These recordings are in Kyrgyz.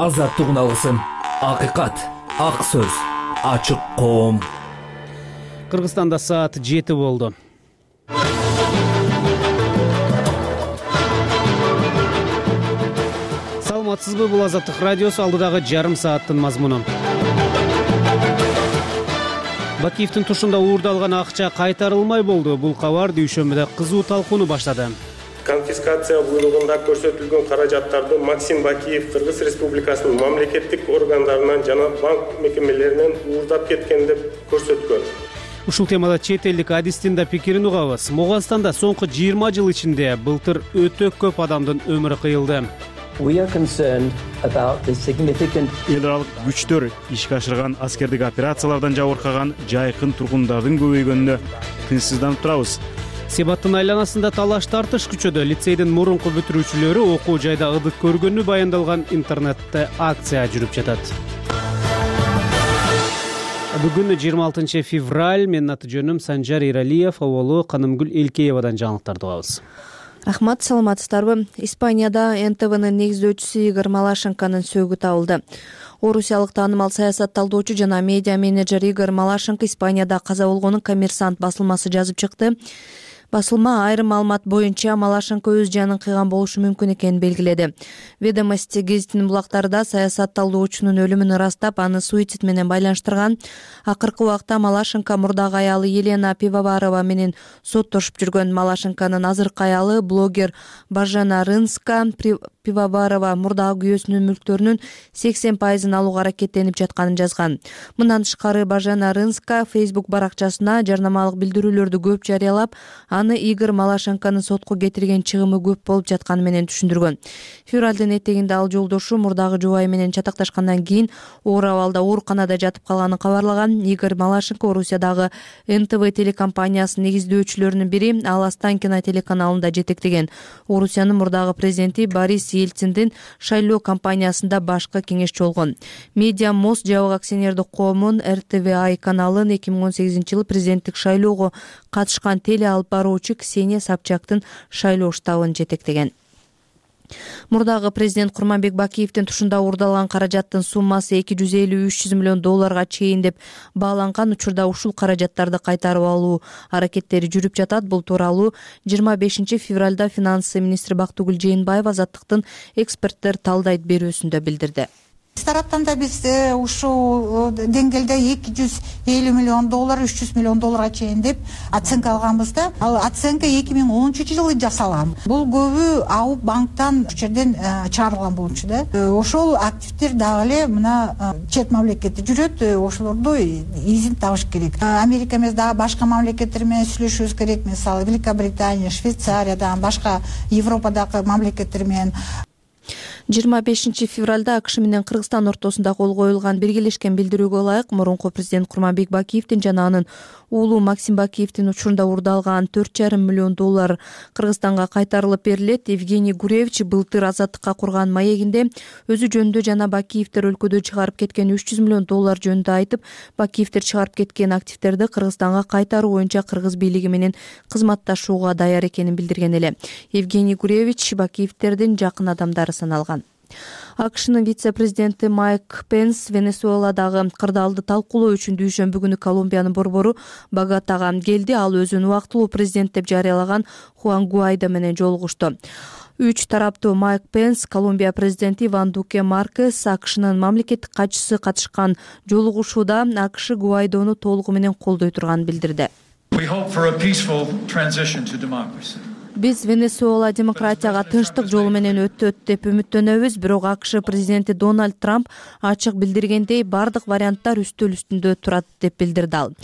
азаттык алгысым, акыйкат, ак сөз, ачык коом. Кыргызстанда саат 7 болду. Саламатсызбы, бул Азаттык радиосу, алдыдагы жарым сааттын мазмуну. Бакиевдин тушунда уурдалган акча кайтарылмай болду. Бул кабар дүйшөмбүдө кызуу талкууну баштады. Конфискация буйругунда көрсөтүлгөн каражаттарды Максим Бакиев Кыргыз Республикасынын мамлекеттик органдарынан жана банк мекемелеринен уурдап кеткен деп көрсөткөн. Ушул темада чет элдик адистин да пикирин угабыз. Мугастанда соңку 20 жыл ичинде былтыр өтө көп адамдын өмүрү кыйылды. Эл аралык күчтөр ишке ашырган аскердик операциялардан жабыркаган жайкын тургундардын көбөйгөнүнө тынчсызданып турабыз. Себаттын айланасында талаш тартыш күчөдө. Лицейдин мурунку бүтүрүүчүлөрү окуу жайда ыдык көргөнү баяндалган интернетте акция жүрүп жатат. Бүгүн 26 февраль. Менин аты жөнүм Санжар Иралиев, Оболу Канымгүл Элкеевадан жаңылыктарды угабыз. Рахмат, саламатсыздарбы? Испанияда НТВнын негиздөөчүсү Игорь Малашенконун сөөгү табылды. Орусиялык таанымал саясат талдоочу жана медиа менеджер Игорь Малашенко Испанияда каза болгонун Коммерсант басылмасы жазып чыкты. Басылма айрым маалымат боюнча Малашенко өз жанын кыйган болушу мүмкүн экенин белгиледи. Ведомости гезитинин булактарында саясат талдоочунун өлүмүн ырастап, аны суицид менен байланыштырган. Акыркы убакта Малашенко мурдагы аялы Елена Пивоварова менен соттошуп жүргөн. Малашенконун азыркы аялы блогер Бажена Рынска Пивоварова мурдагы күйөөсүнүн мүлктөрүнүн 80% алууга аракеттенип жатканын жазган. Мындан тышкары Бажена Рынска Facebook баракчасына жарнамалык билдирүүлөрдү көп жарыялап, аны Игорь Малашенконун сотко кетирген чыгымы көп болуп жатканы менен түшүндүргөн. Февралдын этегинде ал жолдошу мурдагы жубайы менен чатакташкандан кийин оор абалда ооруканада жатып калганын кабарлаган. Игорь Малашенко Орусиядагы НТВ телекомпаниясынын негиздөөчүлөрүнүн бири, ал Останкино телеканалында жетектеген. Орусиянын мурдагы президенти Борис Ельциндин шайлоо кампаниясында башкы кеңешчи болгон. Медиа Мост жабык акционердик коомун РТВА каналын 2018 жылы президенттик шайлоого катышкан теле алып баруучу Ксения Собчактын шайлоо штабын жетектеген. Мурдагы президент Курманбек Бакиевдин тушунда уурдалган каражаттын суммасы $250–300 миллион чейин деп бааланган. Учурда ушул каражаттарды кайтарып алуу аракеттери жүрүп жатат. Бул тууралуу 25 февралда финансы министри Бактыгүл Жээнбаева Азаттыктын эксперттер талдайт берүүсүндө билдирди. Тараптан да биз ушул деңгээлде $250 миллион, $300 миллион чейин деп оценка алганбыз да. Ал оценка 2010 жылы жасалган. Бул көбү АУ банктан жерден чыгарылган болчу да. Ошол активдер дагы эле мына чет мамлекетте жүрөт, ошолорду изин табыш керек. Америка эмес, дагы башка мамлекеттер менен сүйлөшүбүз керек. Мисалы Великобритания, Швейцариядан, башка Европадагы мамлекеттер менен. 25 февралда AQSh менен Кыргызстан ортосунда кол коюлган биргелешкен билдирүүгө ылайык мурунку президент Курманбек Бакиевдин жана анын уулу Максим Бакиевдин учурунда уурдалган $4,5 миллион Кыргызстанга кайтарылып берилет. Евгений Гуревич былтыр Азаттыкка курган маегинде өзү жөнүндө жана Бакиевдер өлкөдө чыгарып кеткен $300 миллион жөнүндө айтып, Бакиевдер чыгарып кеткен активдерди Кыргызстанга кайтаруу боюнча кыргыз бийлиги менен кызматташууга даяр экенин билдирген эле. Евгений Гуревич Бакиевдердин жакын адамдары саналган. AQShнын вице-президенти Майк Пенс Венесуэладагы кырдаалды талкуулоо үчүн дүйшөмбү күнү Колумбиянын борбору Боготага келди. Ал өзүн убактылуу президент деп жарыялаган Хуан Гуайдо менен жолугушту. Үч тараптуу Майк Пенс, Колумбия президенти Иван Дуке Маркес, AQShнын мамлекеттик катчысы катышкан жолугушууда AQSh Гуайдону толугу менен колдой турганын билдирди. Биз Венесуэла демократияга тынчтык жолу менен өтөт деп үмүттөнөбүз, бирок AQSh президенти Дональд Трамп ачык билдиргендей бардык варианттар үстөл үстүндө турат деп билдирди ал.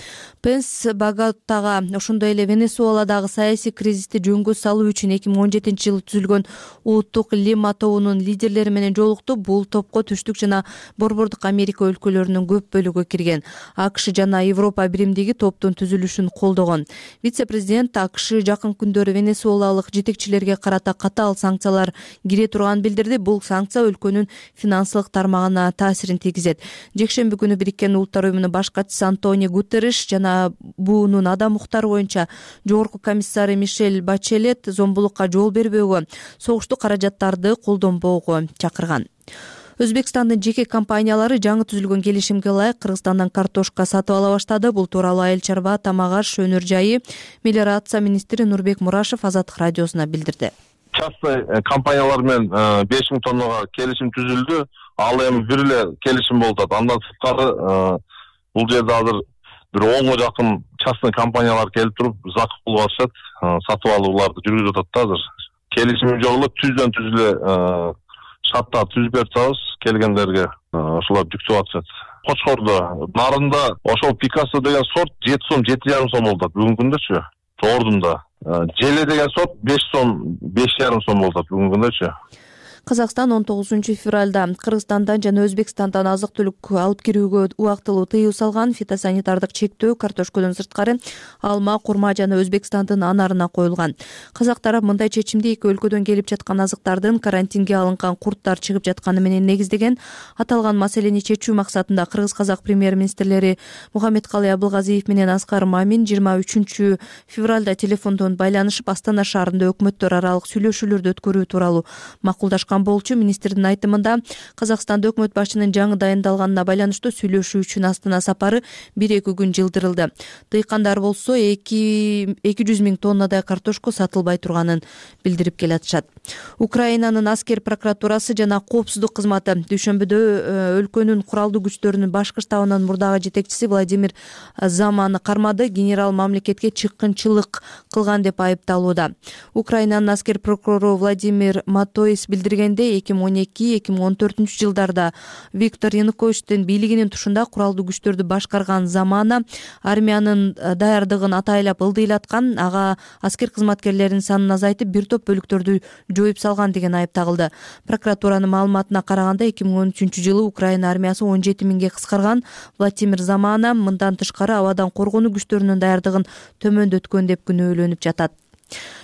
Пенс Боготага ошондой эле Венесуэладагы саясий кризисти жөнгө салуу үчүн 2017 жылы түзүлгөн Улуттук Лима тобунун лидерлери менен жолукту. Бул топко Түштүк жана Борбордук Америка өлкөлөрүнүн көп бөлүгү кирген. AQSh жана Европа биримдиги топтун түзүлүшүн колдогон. Вице-президент AQSh жакын күндөрү Венесуэлалык жетекчилерге карата катаал санкциялар кире турганын билдирди. Бул санкция өлкөнүн финансылык тармагына таасирин тийгизет. Жекшемби күнү Бириккен Улуттар Уюмунун баш катчысы Антонио Гутерриш жана буунун адам укуктары боюнча жогорку комиссары Мишель Бачелет зомбулукка жол бербөөгө, согуштук каражаттарды колдонбоого чакырган. Өзбекстандын жеке компаниялары жаңы түзүлгөн келишимге ылайык Кыргызстандан картошка сатып ала баштады. Бул тууралуу Айыл чарба, тамак аш, өнөр жайы, мелиорация министри Нурбек Мурашев Азаттык радиосуна билдирди. Частный компаниялар менен 5000 тоннага келишим түзүлдү. Ал эми бир эле келишим болуп атат. Андан сырткары бул жерде азыр бир 10га жакын частный компаниялар келип туруп закуп кылып атышат. Сатып алууларды жүргүзүп атат да азыр. Келишим жок эле түздөн түз эле шарттар түзүп берип атабыз келгендерге. Ошолар жүктөп атышат. Кочкордо, нарында ошол Пикассо деген сорт 7 сом, 7,5 сом болуп атат бүгүнкү күндөчү. Тоордунда. Желе деген сорт 5 сом, 5,5 сом болуп атат бүгүнкү күндөчү. Казакстан 19-февралда Кыргызстандан жана Өзбекстандан азык-түлүк алып кирүүгө убактылуу тыюу салган. Фитосанитардык чектөө картошкодон сырткары алма, курма жана Өзбекстандын анарына коюлган. Казак тарап мындай чечимди эки өлкөдөн келип жаткан азыктардын карантинге алынган курттар чыгып жатканы менен негиздеген. Аталган маселени чечүү максатында кыргыз-казак премьер-министрлери Мухаммедкалый Абылгазиев менен Аскар Мамин 23-февралда телефондон байланышып, Астана шаарында өкмөттөр аралык сүйлөшүүлөрдү өткөрүү тууралуу макулдашкан болчу. Министрдин айтымында Казакстанда өкмөт башчынын жаңы дайындалганына байланыштуу сүйлөшүү үчүн Астана сапары 1-2 күн жылдырылды. Дыйкандар болсо 200 000 тоннадай картошко сатылбай турганын билдирип келатышат. Украинанын аскер прокуратурасы жана коопсуздук кызматы дүйшөмбүдө өлкөнүн куралдуу күчтөрүнүн башкы штабынын мурдагы жетекчиси Владимир Заманы кармады. Генерал мамлекетке чыккынчылык кылган деп айыпталууда. Украинанын аскер прокурору Владимир Матоис билдирген 2012-2014 жылдарда Виктор Януковичтин бийлигинин тушунда куралдуу күчтөрдү башкарган Замана армиянын даярдыгын атайлап ылдыйлаткан, ага аскер кызматкерлеринин санын азайтып, бир топ бөлүктөрдү жоюп салган деген айып тагылды. Прокуратуранын маалыматына караганда 2013-жылы Украина армиясы 17 000ге кыскарган. Владимир Замана мындан тышкары абадан коргонуу күчтөрүнүн даярдыгын төмөндөткөн деп күнөөлөнүп жатат.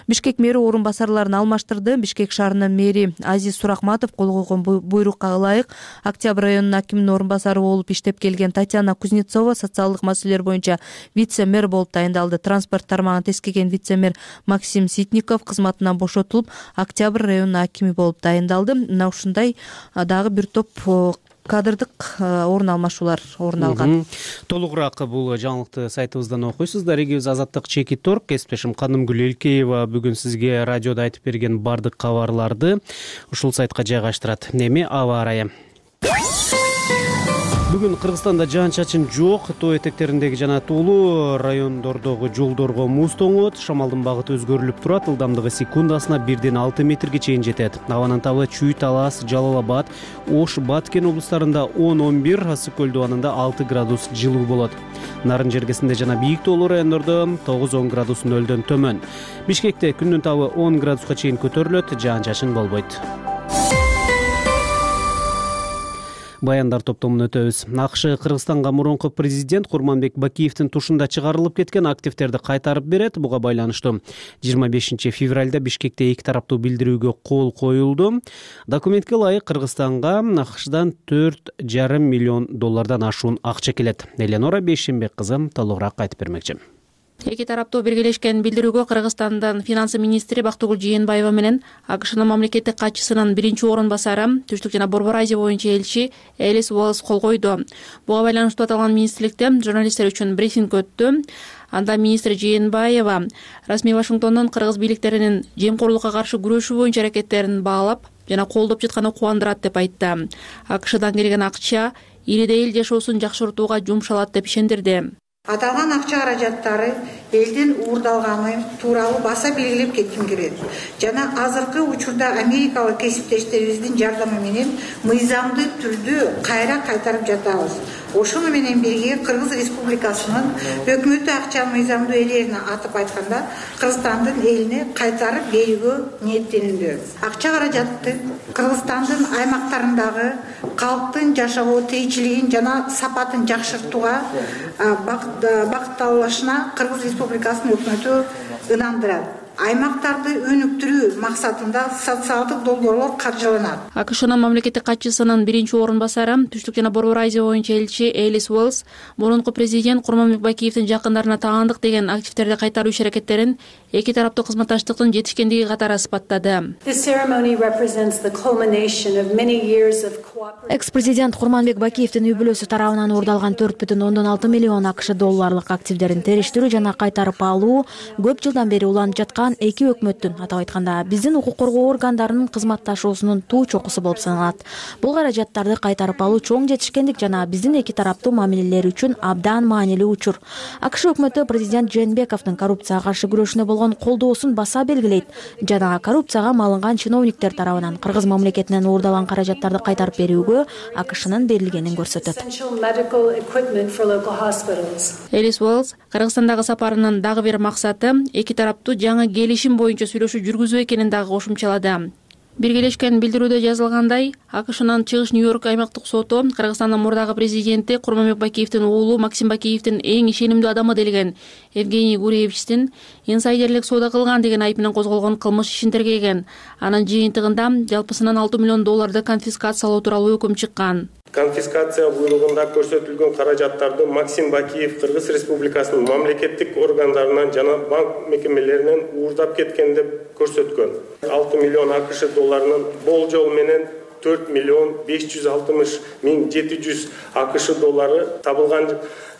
Бишкек мэри орун басарларын алмаштырды. Бишкек шаарынын мэри Азиз Сурахматов кол койгон буйрукка ылайык Октябрь районунун акиминин орун басары болуп иштеп келген Татьяна Кузнецова социалдык маселелер боюнча вице-мэр болуп дайындалды. Транспорт тармагын тескеген вице-мэр Максим Ситников кызматынан бошотулуп, Октябрь районунун акими болуп дайындалды. Мына ушундай дагы бир топ кадрдык орун алмашуулар орун алган. Толугураак бул жаңылыкты сайтыбыздан окуйсуздар. Эгибиз Азаттык Чекиторг, кесиптешим Канымгүл Элкеева бүгүн сизге радиодо айтып берген бардык кабарларды ушул сайтка жайгаштырат. Эми аба ырайы. Бүгүн Кыргызстанда жаан-чачын жок. Тоо этектериндеги жана тоолуу райондордогу жолдорго муз тоңот. Шамалдын багыты өзгөрүлүп турат. Ылдамдыгы секундасына 1-6 метрге чейин жетет. Абанын табы Чүй, Талас, Жалал Абад, Ош, Баткен облустарында 10-11, Ысык көл дубанында 6 градус жылуу болот. Нарын жергесинде жана бийик тоолуу райондордо 9-10 градус нөлдөн төмөн. Бишкекте күндүн табы 10 градуска чейин көтөрүлөт, жаан-чачын болбойт. Баяндар топтомун өтөбүз. АКШ Кыргызстанга мурунку президент Курманбек Бакиевдин тушунда чыгарылып кеткен активтерди кайтарып берет. Буга байланыштуу 25-февралда Бишкекте эки тараптуу билдирүүгө кол коюлду. Документке ылайык Кыргызстанга АКШдан $4,5 миллион ашуун акча келет. Эленора Бейшембек кызы толугураак айтып бермекчи. Эки тараптуу биргелешкен билдирүүгө Кыргызстандын финансы министри Бактыгүл Жээнбаева менен АКШнын мамлекеттик катчысынын биринчи орун басары, Түштүк жана Борбор Азия боюнча элчи Элис Уоллес кол койду. Буга байланыштуу аталган министрликте журналисттер үчүн брифинг өттү. Анда министр Жээнбаева расмий Вашингтондун кыргыз бийликтеринин жемкорлукка каршы күрөшүү боюнча аракеттерин баалап жана колдоп жатканы кубандырат деп айтты. АКШдан келген акча элде эл жашоосун жакшыртууга жумшалат деп ишендирди. Аталган акча каражаттары элдин уурдалганы тууралуу баса белгилеп кетким келет. Жана азыркы учурда америкалык кесиптештерибиздин жардамы менен мыйзамдуу түрдө кайра кайтарып жатабыз. Ошону менен бирге Кыргыз Республикасынын өкмөтү акча мыйзамдуу ээлерине атып айтканда Кыргызстандын элине кайтарып берүүгө ниеттенүүдө. Акча каражатты Кыргызстандын аймактарындагы калктын жашоо тиричилигин жана сапатын жакшыртууга багытталышына Кыргыз Республикасынын өкмөтү ынандырат. аймактарды өнүктүрүү максатында социалдык долбоорлор каржыланат. АКШнын мамлекеттик катчысынын биринчи орун басары, Түштүк жана Борбор Азия боюнча элчи Элис Уэллс мурунку президент Курманбек Бакиевдин жакындарына таандык деген активдерди кайтаруу иш-аракеттерин эки тараптуу кызматташтыктын жетишкендиги катары сыпаттады. Экс-президент Курманбек Бакиевдин үй-бүлөсү тарабынан уурдалган 4,6 миллион АКШ долларлык активдерин териштирүү жана кайтарып алуу көп жылдан бери уланып жаткан эки өкмөттүн, атап айтканда биздин укук коргоо органдарынын кызматташуусунун туу чокусу болуп саналат. Бул каражаттарды кайтарып алуу чоң жетишкендик жана биздин эки тараптуу мамилелер үчүн абдан маанилүү учур. АКШ өкмөтү президент Жээнбековдун коррупцияга каршы күрөшүнө болгон колдоосун баса белгилейт жана коррупцияга малынган чиновниктер тарабынан Кыргыз мамлекетинен уурдалган каражаттарды кайтарып берүүгө АКШнын берилгенин көрсөтөт. Элис Уэллс Кыргызстандагы сапарынын дагы бир максаты эки тараптуу жаңы келишим боюнча сүйлөшүү жүргүзүү экенин дагы кошумчалады. Биргелешкен билдирүүдө жазылгандай, АКШнын Чыгыш Нью-Йорк аймактык соту Кыргызстандын мурдагы президенти Курманбек Бакиевдин уулу Максим Бакиевдин эң ишенимдүү адамы делген Евгений Гуревичтин инсайдерлик соода кылган деген айып менен козголгон кылмыш ишин тергеген. Анын жыйынтыгында жалпысынан 6 миллион долларды конфискациялоо тууралуу өкүм чыккан. Конфискация буйругунда көрсөтүлгөн каражаттарды Максим Бакиев Кыргыз Республикасынын мамлекеттик органдарынан жана банк мекемелеринен уурдап кеткен деп көрсөткөн. 6 миллион АКШ долларынын болжол менен 4 миллион 560 миң 700 АКШ доллары табылган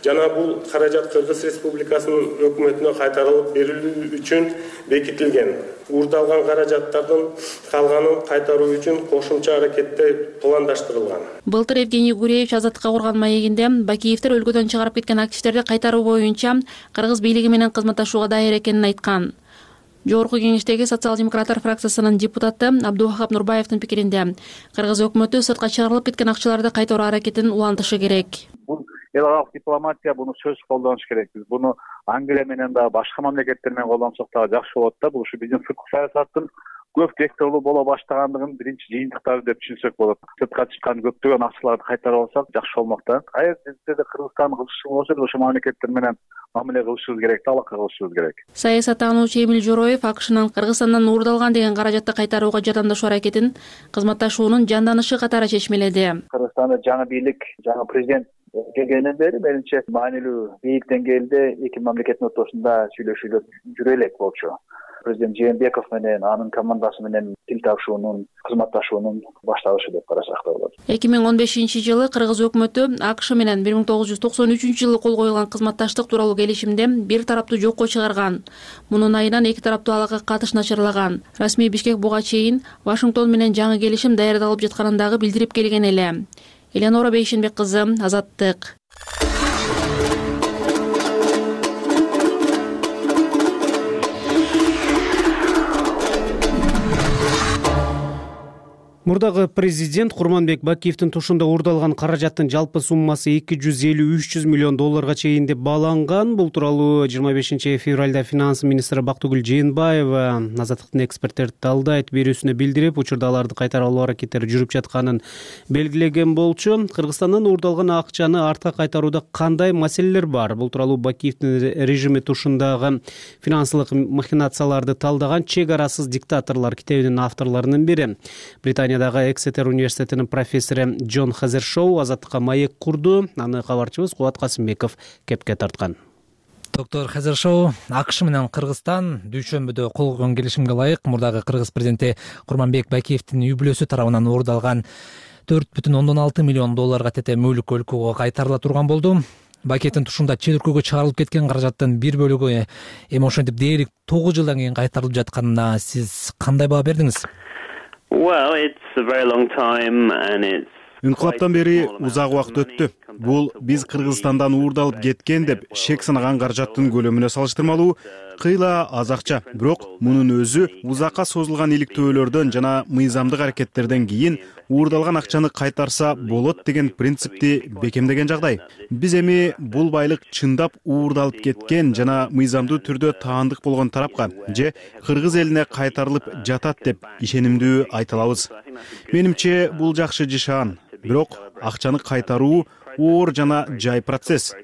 жана бул каражат Кыргыз Республикасынын өкмөтүнө кайтарылып берилүү үчүн бекитилген. Уурдалган каражаттардын калганын кайтаруу үчүн кошумча аракеттер пландаштырылган. Былтыр Евгений Гуревич азаттыкка курган маегинде Бакиевдер өлкөдөн чыгарып кеткен активдерди кайтаруу боюнча Кыргыз бийлиги менен кызматташууга даяр экенин айткан. Жогорку кеңештеги социал-демократтар фракциясынын депутаты Абдувахап Нурбаевдин пикиринде Кыргыз өкмөтү сыртка чыгарылып кеткен акчаларды кайтаруу аракетин улантышы керек. Эл аралык дипломатия буну сөз колдонуш керек. Биз буну Англия менен да башка мамлекеттер менен колдонсок дагы жакшы болот да. Бул ушу биздин сырткы саясаттын көп векторлуу боло баштагандыгын биринчи жыйынтыктары деп түшүнсөк болот. Сыртка чыккан көптөгөн акчаларды кайтарып алсак жакшы болмок да. Кайер жерде Кыргызстан кылышы болсо ошо мамлекеттер менен мамиле кылышыбыз керек, алака кылышыбыз керек. Саясаттануучу Эмил Жороев АКШнын Кыргызстандан уурдалган деген каражатты кайтарууга жардамдашуу аракетин кызматташуунун жанданышы катары чечмеледи. Кыргызстанда жаңы бийлик, жаңы президент келгенден бери менимче маанилүү бийик деңгээлде эки мамлекеттин ортосунда сүйлөшүүлөр жүрө элек болчу. Президент Жээнбеков менен анын командасы менен тил табышуунун, кызматташуунун башталышы деп карасак да болот. 2015-жылы Кыргыз өкмөтү АКШ менен 1993-жылы кол коюлган кызматташтык тууралуу келишимде бир тараптуу жокко чыгарган. Мунун айынан эки тараптуу алакка катыш начарлаган. Расмий Бишкек буга чейин Вашингтон менен жаңы келишим даярдалып жатканын дагы билдирип келген эле. Элеонора Бейшенбек кызы, Азаттык. Мурдагы президент Курманбек Бакиевдин тушунда уурдалган каражаттын жалпы суммасы 250-300 миллион долларга чейин деп бааланган. Бул тууралуу 25 февралда финанс министри Бактыгүл Жээнбаева Азаттыктын эксперттерди талдайт берүүсүнө билдирип, учурда аларды кайтарып алуу аракеттери жүрүп жатканын белгилеген болчу. Кыргызстандан уурдалган акчаны артка кайтарууда кандай маселелер бар? Бул тууралуу Бакиевдин режими тушундагы финансылык махинацияларды талдаган «Чек арасыз диктаторлор» китебинин авторлорунун бири. Британиядагы Эксетер университетинин профессору Джон Хазершоу Азаттыкка маек курду. Аны кабарчыбыз Кубат Касымбеков кепке тарткан. Доктор Хазершоу, АКШ менен Кыргызстан дүйшөмбүдө кол койгон келишимге ылайык мурдагы Кыргыз президенти Курманбек Бакиевдин үй-бүлөсү тарабынан уурдалган 4,6 миллион долларга тете мүлк өлкөгө кайтарыла турган болду. Бакиевдин тушунда чет өлкөгө чыгарылып кеткен каражаттын бир бөлүгү эми ошентип дээрлик 9 жылдан кийин кайтарылып жатканына сиз кандай баа бердиңиз? Инкылаптан бери узак убакыт өттү. Бул биз Кыргызстандан уурдалып кеткен деп шек санаган каражаттын көлөмүнө салыштырмалуу кыйла аз акча. Бирок мунун өзү узакка созулган иликтөөлөрдөн жана мыйзамдык аракеттерден кийин уурдалган акчаны кайтарса болот деген принципти бекемдеген жагдай. Биз эми бул байлык чындап уурдалып кеткен жана мыйзамдуу түрдө таандык болгон тарапка же кыргыз элине кайтарылып жатат деп ишенимдүү айта алабыз. Менимче бул жакшы жашаан. Бирок акчаны кайтаруу оор жана жай процесс.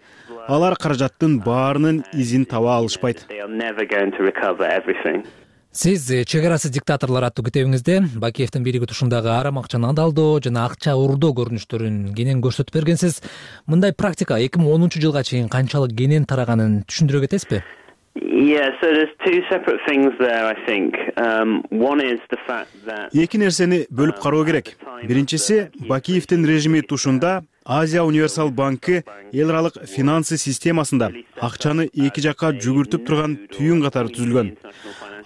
Алар каражаттын баарынын изин таба алышпайт. Сиз чек арасы диктаторлор аттуу китебиңизде Бакиевдин бийлиги тушундагы арам акчаны адалдоо жана акча уурдоо көрүнүштөрүн кенен көрсөтүп бергенсиз. Мындай практика 2010-жылга чейин канчалык кенен тараганын түшүндүрө кетесизби? Эки нерсени бөлүп кароо керек. Биринчиси, Бакиевдин режими тушунда Азия универсал банкы эл аралык финансы системасында акчаны эки жакка жүгүртүп турган түйүн катары түзүлгөн.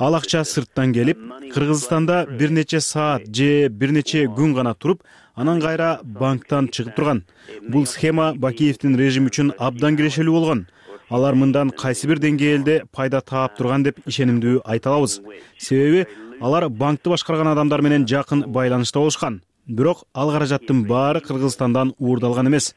Ал акча сырттан келип, Кыргызстанда бир нече саат же бир нече күн гана туруп, анан кайра банктан чыгып турган. Бул схема Бакиевдин режими үчүн абдан кирешелүү болгон. Алар мындан кайсы бир деңгээлде пайда таап турган деп ишенимдүү айта алабыз. Себеби алар банкты башкарган адамдар менен жакын байланышта болушкан. Бирок ал каражаттын баары Кыргызстандан уурдалган эмес.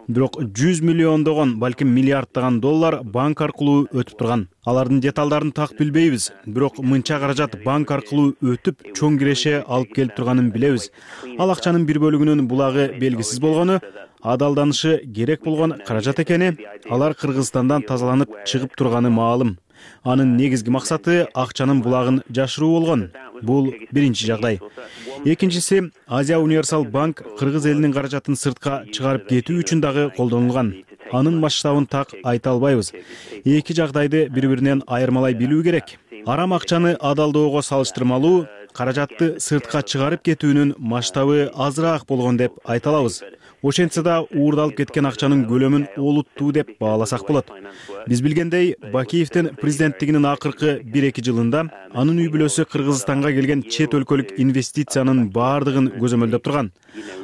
Бирок 100 миллиондогон, балким миллиарддаган доллар банк аркылуу өтүп турган. Алардын деталдарын так билбейбиз, бирок мынча каражат банк аркылуу өтүп, чоң киреше алып келип турганын билебиз. Ал акчанын бир бөлүгүнүн булагы белгисиз болгону, адалданышы керек болгон каражат экени, алар Кыргызстандан тазаланып чыгып турганы маалым. Анын негизги максаты акчанын булагын жашыруу болгон. Бул биринчи жагдай. Экинчиси, Азия универсал банк Кыргыз элинин каражатын сыртка чыгарып кетүү үчүн дагы колдонулган. Анын масштабын так айта албайбыз. Эки жагдайды бири-биринен айырмалай билүү керек. Арам акчаны адалдоого салыштырмалуу, каражатты сыртка чыгарып кетүүнүн масштабы азыраак болгон деп айта алабыз. Ошентсе да уурдалып кеткен акчанын көлөмүн олуттуу деп бааласак болот. Биз билгендей, Бакиевдин президенттигинин акыркы 1-2 жылында анын үй бүлөсү Кыргызстанга келген чет өлкөлүк инвестициянын баардыгын көзөмөлдөп турган.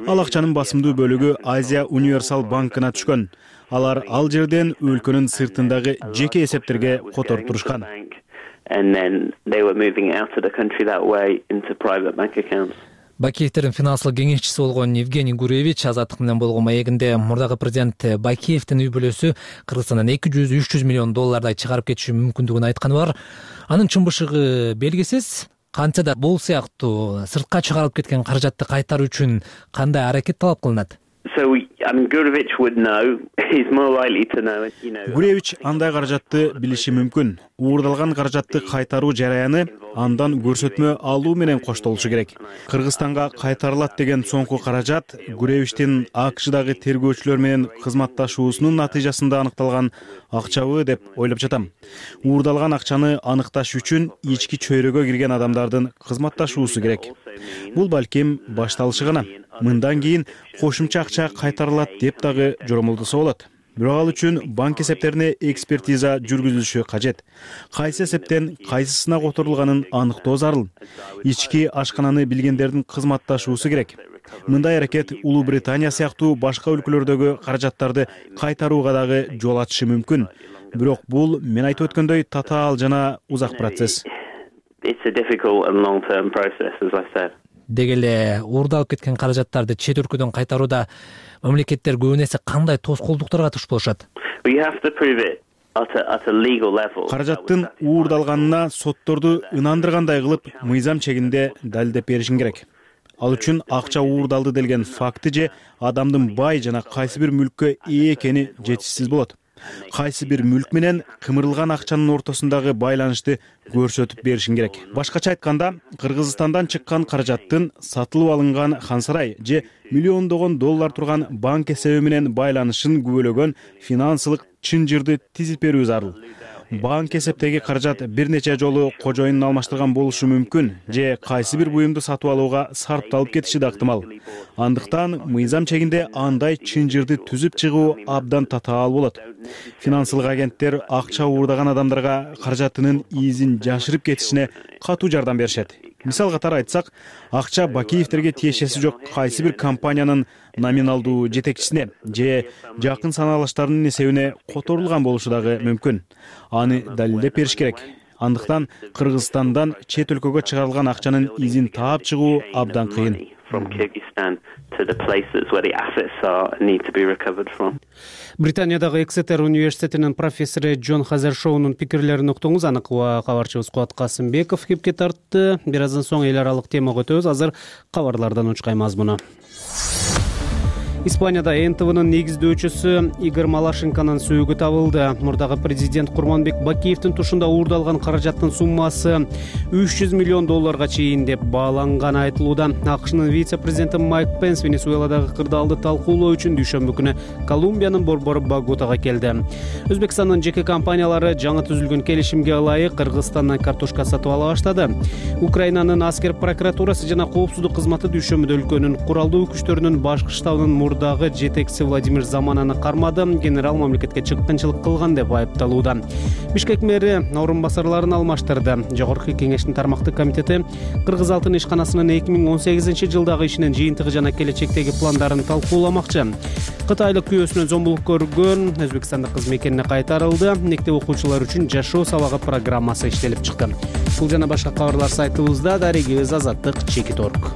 Ал акчанын басымдуу бөлүгү Азия универсал банкына түшкөн. Алар ал жерден өлкөнүн сыртындагы жеке эсептерге которуп турушкан. Бакиевдин финансылык кеңешчиси болгон Евгений Гуревич Азаттык менен болгон маегинде мурдагы президент Бакиевдин үй бүлөсү Кыргызстандан 200-300 миллион доллардай чыгарып кетиши мүмкүндүгүн айтканы бар. Анын чын-бышыгы белгисиз. Кантса да бул сыяктуу сыртка чыгарылып кеткен каражатты кайтаруу үчүн кандай аракет талап кылынат? Гуревич андай каражатты билиши мүмкүн. Уурдалган каражатты кайтаруу жараяны андан көрсөтмө алуу менен коштолушу керек. Кыргызстанга кайтарылат деген соңку каражат Гуревичтин АКШдагы тергөөчүлөр менен кызматташуусунун натыйжасында аныкталган акчабы деп ойлоп жатам. Уурдалган акчаны аныкташ үчүн ички чөйрөгө кирген адамдардын кызматташуусу керек. Бул балким башталышы гана. Мындан кийин кошумча акча кайтарылат деп дагы жоромолдосо болот. Бирок ал үчүн банк эсептерине экспертиза жүргүзүлүшү кажет. Кайсы эсептен кайсысына которулганын аныктоо зарыл. Ички ашкананы билгендердин кызматташуусу керек. Мындай аракет Улуу Британия сыяктуу башка өлкөлөрдөгү каражаттарды кайтарууга дагы жол ачышы мүмкүн. Бирок бул мен айтып өткөндөй татаал жана узак процесс. Деги эле уурдалып кеткен каражаттарды чет өлкөдөн кайтарууда мамлекеттер көбүн эсе кандай тоскоолдуктарга туш болушат? Каражаттын уурдалганына сотторду ынандыргандай кылып, мыйзам чегинде далилдеп беришин керек. Ал үчүн акча уурдалды делген факты же адамдын бай жана кайсы бир мүлккө ээ экени жетишсиз болот. Кайсы бир мүлк менен кымырылган акчанын ортосундагы байланышты көрсөтүп беришин керек. Башкача айтканда, Кыргызстандан чыккан каражаттын сатылып алынган Хан Сарай же миллиондогон доллар турган банк эсеби менен байланышын күбөлөгөн финансылык чынжырды тизип берүү зарыл. Банк эсептеги каражат бир нече жолу кожоюнун алмаштырган болушу мүмкүн же кайсы бир буюмду сатып алууга сарпталып кетиши да ыктымал. Андыктан мыйзам чегинде андай чынжырды түзүп чыгуу абдан татаал болот. Финансылык агенттер акча уурдаган адамдарга каражатынын изин жашырып кетишине катуу жардам беришет. Мисал катары айтсак, акча Бакиевдерге тиешеси жок кайсы бир компаниянын номиналдуу жетекчисине же жакын санаалаштарынын эсебине которулган болушу дагы мүмкүн. Аны далилдеп бериш керек. Андыктан Кыргызстандан чет өлкөгө чыгарылган акчанын изин таап чыгуу абдан кыйын. Британиядагы Эксетер университетинин профессору Джон Хазершоунун пикирлерин уктуңуз. Аны кабарчыбыз Кубат Касымбеков кепке тартты. Бир аздан соң эл аралык темага өтөбүз. Азыр кабарлардан учкай мазмуну. Испанияда НТВнын негиздөөчүсү Игорь Малашенконун сөөгү табылды. Мурдагы президент Курманбек Бакиевдин тушунда уурдалган каражаттын суммасы $300 миллион чейин деп бааланганы айтылууда. АКШнын вице-президенти Майк Пенс Венесуэладагы кырдаалды талкуулоо үчүн дүйшөмбү күнү Колумбиянын борбору Боготага келди. Өзбекстандын жеке компаниялары жаңы түзүлгөн келишимге ылайык Кыргызстандан картошка сатып ала баштады. Украинанын аскер прокуратурасы жана коопсуздук кызматы дүйшөмбүдө өлкөнүн куралдуу күчтөрүнүн башкы штабынын мурдагы жетекчиси Владимир Замананы кармады. Генерал мамлекетке чыккынчылык кылган деп айыпталууда. Бишкек мэри орун басарларын алмаштырды. Жогорку кеңештин тармактык комитети Кыргыз алтын ишканасынын 2018-жылдагы ишинин жыйынтыгы жана келечектеги пландарын талкууламакчы. Кытайлык күйөөсүнөн зомбулук көргөн өзбекстандык кыз мекенине кайтарылды. Мектеп окуучулары үчүн жашоо сабагы программасы иштелип чыкты. Бул жана башка кабарлар сайтыбызда. Дарегибиз Азаттык Чекит.орг.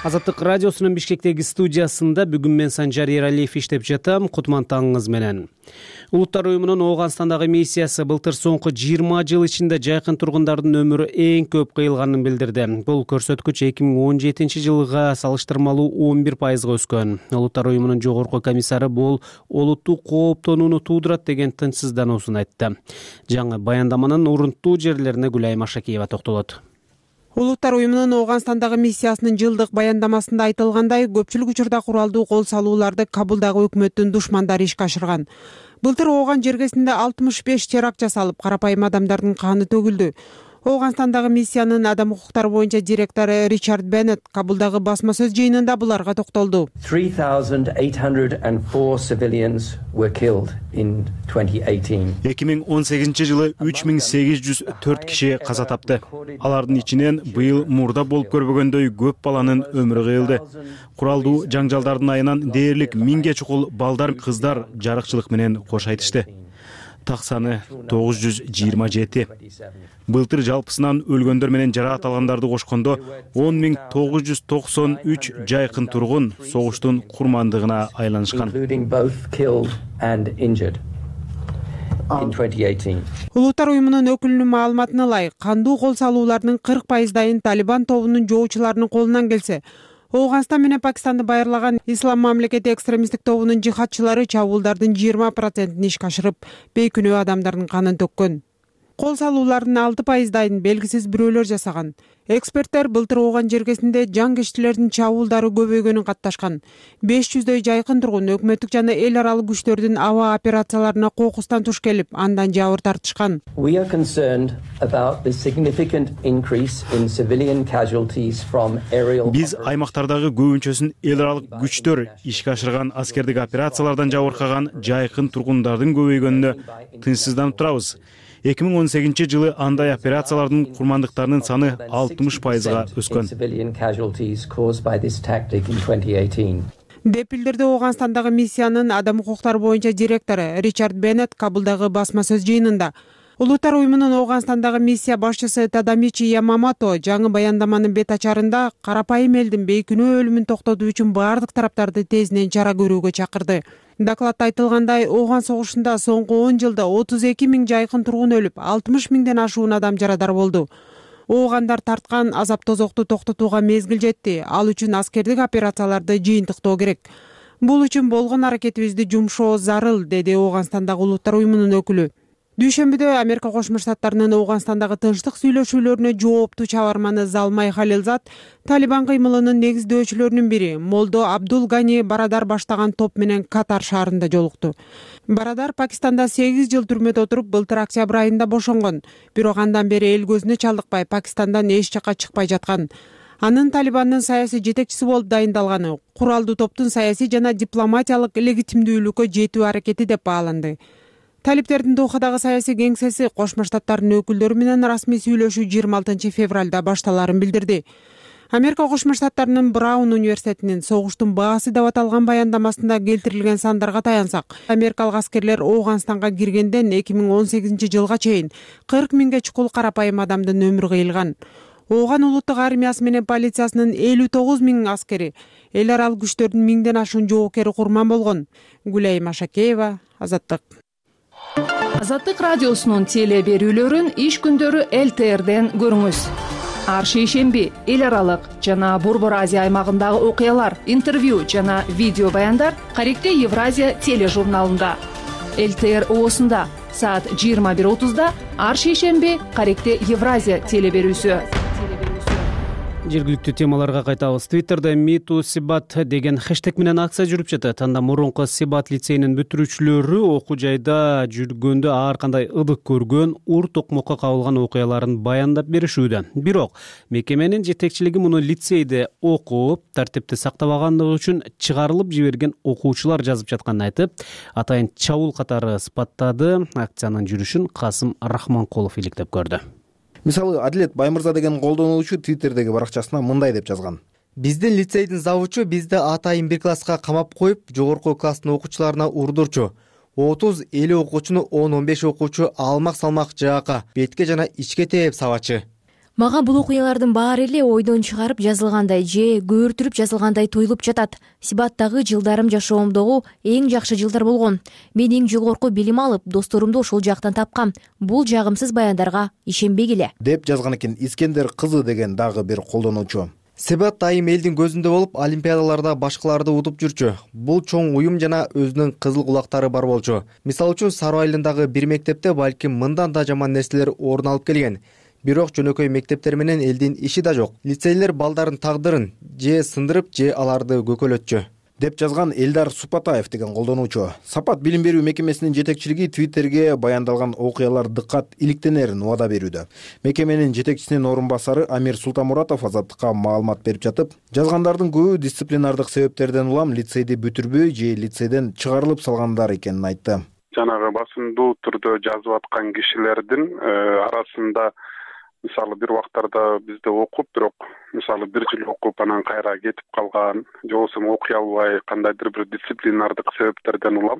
Азаттык радиосунун Бишкектеги студиясында бүгүн мен Санжар Эралиев иштеп жатам. Кутман таңыңыз менен. Улуттар уюмунун Ооганстандагы миссиясы былтыр соңку 20 жыл ичинде жайкын тургундардын өмүрү эң көп кыйылганын билдирди. Бул көрсөткүч 2017-жылга салыштырмалуу 11% өскөн. Улуттар уюмунун жогорку комиссары бул олуттуу кооптонууну туудурат деген тынчсыздануусун айтты. Жаңы баяндаманын урунттуу жерлерине Гүлайым Ашакиева токтолот. Улуттар уюмунун Ооганстандагы миссиясынын жылдык баяндамасында айтылгандай, көпчүлүк учурда куралдуу кол салууларды Кабулдагы өкмөттүн душмандары ишке ашырган. Былтыр Ооган жергесинде 65 теракт жасалып, карапайым адамдардын каны төгүлдү. Ооганстандагы миссиянын адам укуктары боюнча директору Ричард Беннет Кабулдагы басма сөз жыйынында буларга токтолду. 3,804 civilians were killed in 2018. 2018-жылы 3804 киши каза тапты. Алардын ичинен быйыл мурда болуп көрбөгөндөй көп баланын өмүрү кыйылды. Куралдуу жаңжалдардын айынан дээрлик 1000ге чукул балдар, кыздар жарыкчылык менен кош айтышты. Так саны 927. Былтыр жалпысынан өлгөндөр менен жаракат алгандарды кошкондо 10,993 жайкын тургун согуштун курмандыгына айланышкан. Улуттар уюмунун өкүлүнүн маалыматына ылайык, кандуу кол салуулардын 40%-дайын Талибан тобунун жоочуларынын колунан келсе, Ооганстан менен Пакистанды байырлаган Ислам мамлекети экстремисттик тобунун жихадчылары чабуулдардын 20%-ин ишке ашырып, бейкүнөө адамдардын канын төккөн. Кол салуулардын 6%-дайын белгисиз бирөөлөр жасаган. Эксперттер былтыр Ооган жергесинде жаңгештилердин чабуулдары көбөйгөнүн катташкан. 500дөй жайкын тургун өкмөттүк жана эл аралык күчтөрдүн аба операцияларына кокустан туш келип, андан жабыр тартышкан. Биз аймактардагы көбүнчөсүн эл аралык күчтөр ишке ашырган аскердик операциялардан жабыркаган жайкын тургундардын көбөйгөнүнө тынчсызданып турабыз. 2018-жылы андай операциялардын курмандыктарынын саны 60%-га өскөн. Деп билдирди Ооганстандагы миссиянын адам укуктары боюнча директору Ричард Беннет Кабулдагы басма сөз жыйынында. Улуттар уюмунун Ооганстандагы миссия башчысы Тадамичи Ямамото жаңы баяндаманын бет ачарында карапайым элдин бейкүнөө өлүмүн токтотуу үчүн баардык тараптарды тезинен чара көрүүгө чакырды. Докладта айтылгандай, Ооган согушунда соңку 10 жылда 32 000 жайкын тургун өлүп, 60 000ден ашуун адам жарадар болду. Оогандар тарткан азап тозокту токтотууга мезгил жетти. Ал үчүн аскердик операцияларды жыйынтыктоо керек. Бул үчүн болгон аракетибизди жумшоо зарыл, деди Ооганстандагы улуттар уюмунун өкүлү. Дүйшөмбүдө Америка Кошмо Штаттарынын Ооганстандагы тынчтык сүйлөшүүлөрүнө жооптуу чабарманы Залмай Халилзад Талибан кыймылынын негиздөөчүлөрүнүн бири Молдо Абдул Гани Барадар баштаган топ менен Катар шаарында жолукту. Барадар Пакистанда 8 жыл түрмөдө отуруп, былтыр октябрь айында бошонгон. Бирок андан бери эл көзүнө чалдыкпай, Пакистандан эч жака чыкпай жаткан. Анын Талибандын саясий жетекчиси болуп дайындалганы куралдуу топтун саясий жана дипломатиялык легитимдүүлүккө жетүү аракети деп бааланды. Талиптердин Дохадагы саясий кеңсеси Кошмо Штаттарынын өкүлдөрү менен расмий сүйлөшүү 26 февралда башталарын билдирди. Америка Кошмо Штаттарынын Браун университетинин согуштун баасы деп аталган баяндамасында келтирилген сандарга таянсак, америкалык аскерлер Ооганстанга киргенден 2018-жылга чейин 40 000ге чукул карапайым адамдын өмүрү кыйылган. Ооган улуттук армиясы менен полициясынын 59 000 аскери, эл аралык күчтөрдүн 1000ден ашуун жоокери курман болгон. Гүлайым Ашакеева, Азаттык. Азаттык радиосунун теле берүүлөрүн иш күндөрү ЛТРден көрүңүз. ар шейшемби эл аралык жана Борбор Азия аймагындагы окуялар, интервью жана видео баяндар Каректе Евразия тележурналында. ЛТР ООсунда саат 21:30 ар шейшемби Каректе Евразия телеберүүсү. Жергиликтүү темаларга кайтабыз. Twitter'да MeToo Сибат деген хэштег менен акция жүрүп жатат. Анда мурунку Сибат лицейинин бүтүрүүчүлөрү окуу жайда жүргөндө ар кандай ыдык көргөн, ур токмокко кабылган окуяларын баяндап беришүүдө. Бирок мекеменин жетекчилиги муну лицейде окуп, тартипти сактабагандыгы үчүн чыгарылып жиберген окуучулар жазып жатканын айтып, атайын чабуул катары сыпаттады. Акциянын жүрүшүн Касым Рахманкулов иликтеп көрдү. Мисалы, Адилет Баймырза деген колдонуучу Твиттердеги баракчасына мындай деп жазган: биздин лицейдин завучу бизди атайын бир класска камап коюп, жогорку класстын окуучуларына урдурчу. 30-50 окуучуну 10-15 окуучу алмак-салмак жаакка, бетке жана ичке тээп сабачы. Мага бул окуялардын баары эле ойдон чыгарып жазылгандай же көөртүрүп жазылгандай туюлуп жатат. Сибаттагы жылдарым жашоомдогу эң жакшы жылдар болгон. Мен эң жогорку билим алып, досторумду ошол жактан тапкам. Бул жагымсыз баяндарга ишенбегиле, деп жазган экен Искендер кызы деген дагы бир колдонуучу. Сибат дайым элдин көзүндө болуп, олимпиадаларда башкаларды утуп жүрчү. Бул чоң уюм жана өзүнүн кызыл кулактары бар болчу. Мисалы үчүн Сары Айылындагы бир мектепте балким мындан да жаман нерселер орун алып келген. Бирок жөнөкөй мектептер менен элдин иши да жок. Лицейлер балдардын тагдырын же сындырып, же аларды көкөлөтчү, деп жазган Элдар Супатаев деген колдонуучу. Сапат билим берүү мекемесинин жетекчилиги Твиттерге баяндалган окуялар дыккат иликтенерин убада берүүдө. Мекеменин жетекчисинин орун басары Амир Султамуратов Азаттыкка маалымат берип жатып, жазгандардын көбү дисциплинардык себептерден улам лицейди бүтүрбөй же лицейден чыгарылып салгандар экенин айтты. Жанагы басымдуу түрдө жазып аткан кишилердин арасында мисалы бир убактарда бизде окуп, бирок мисалы бир жыл окуп анан кайра кетип калган, же болбосо окуй албай кандайдыр бир дисциплинардык себептерден улам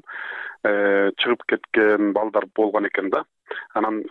чыгып кеткен балдар болгон экен да. Анан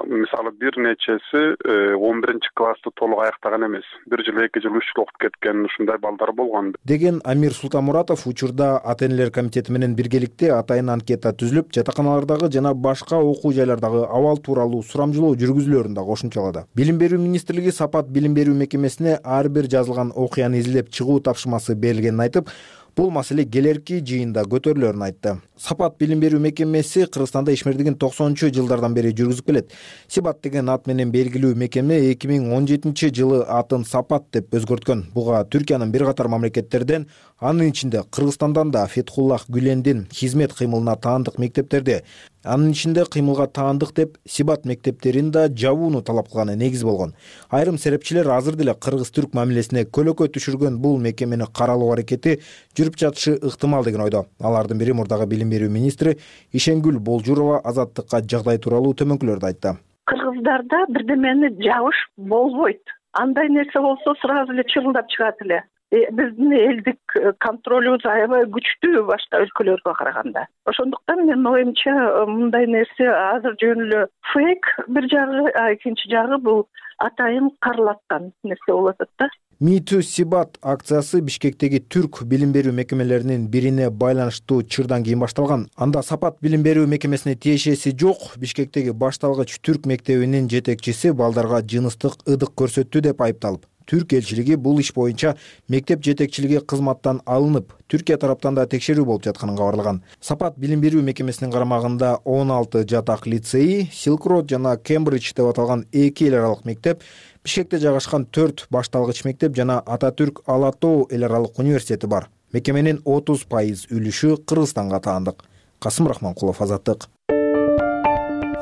мисалы бир нечеси 11-классты толук аяктаган эмес. Бир жыл, 2 жыл, 3 жыл окуп кеткен ушундай балдар болгон. Деген Амир Султамуратов учурда ата-энелер комитети менен биргеликте атайын анкета түзүлүп, жатаканалардагы жана башка окуу жайлардагы абал тууралуу сурамжылоо жүргүзүлөрүн да кошумчалады. Билим берүү министрлиги Сапат билим берүү мекемесине ар бир жазылган окуяны изилдеп чыгуу тапшырмасы берилгенин айтып, бул маселе келерки жыйында көтөрүлөрүн айтты. Сапат билим берүү мекемеси Кыргызстанда ишмердигин 90-жылдардан бери жүргүзүп келет. Сибат деген ат менен белгилүү мекеме 2017-жылы атын Сапат деп өзгөрткөн. Буга Түркиянын бир катар мамлекеттерден, анын ичинде Кыргызстандан да Фетхуллах Гүлендин хизмет кыймылына таандык мектептерде, анын ичинде кыймылга таандык деп Сибат мектептерин да жабууну талап кылганы негиз болгон. Айрым серепчилер азыр деле кыргыз-түрк мамилесине көлөкө түшүргөн бул мекемени каралоо аракети жүрүп жатышы ыктымал деген ойдо. Алардын бири мурдагы билим берүү министри Ишенгүл Болжурова Азаттыкка жагдай тууралуу төмөнкүлөрдү айтты. Кыргыздарда бирдемени жабыш болбойт. Андай нерсе болсо сразу эле чырылдап чыгат эле. Биздин элдик контролубуз аябай күчтүү башка өлкөлөргө караганда. Ошондуктан менин оюмча мындай нерсе азыр жөн эле фейк бир жагы, экинчи жагы бул атайын каралаткан нерсе болуп атат да. MeToo Сибат акциясы Бишкектеги түрк билим берүү мекемелеринин бирине байланыштуу чырдан кийин башталган. Анда Сапат билим берүү мекемесине тиешеси жок Бишкектеги башталгыч түрк мектебинин жетекчиси балдарга жыныстык ыдык көрсөттү деп айыпталып, Түрк элчилиги бул иш боюнча мектеп жетекчилиги кызматтан алынып, Түркия тараптан да текшерүү болуп жатканын кабарлаган. Сапат билим берүү мекемесинин карамагында 16 жатак лицей, Silk Road жана Кембридж деп аталган 2 эл аралык мектеп, Бишкекте жайгашкан 4 башталгыч мектеп жана Ататүрк Ала Тоо эл аралык университети бар. Мекеменин 30% үлүшү Кыргызстанга таандык. Касым Рахманкулов, Азаттык.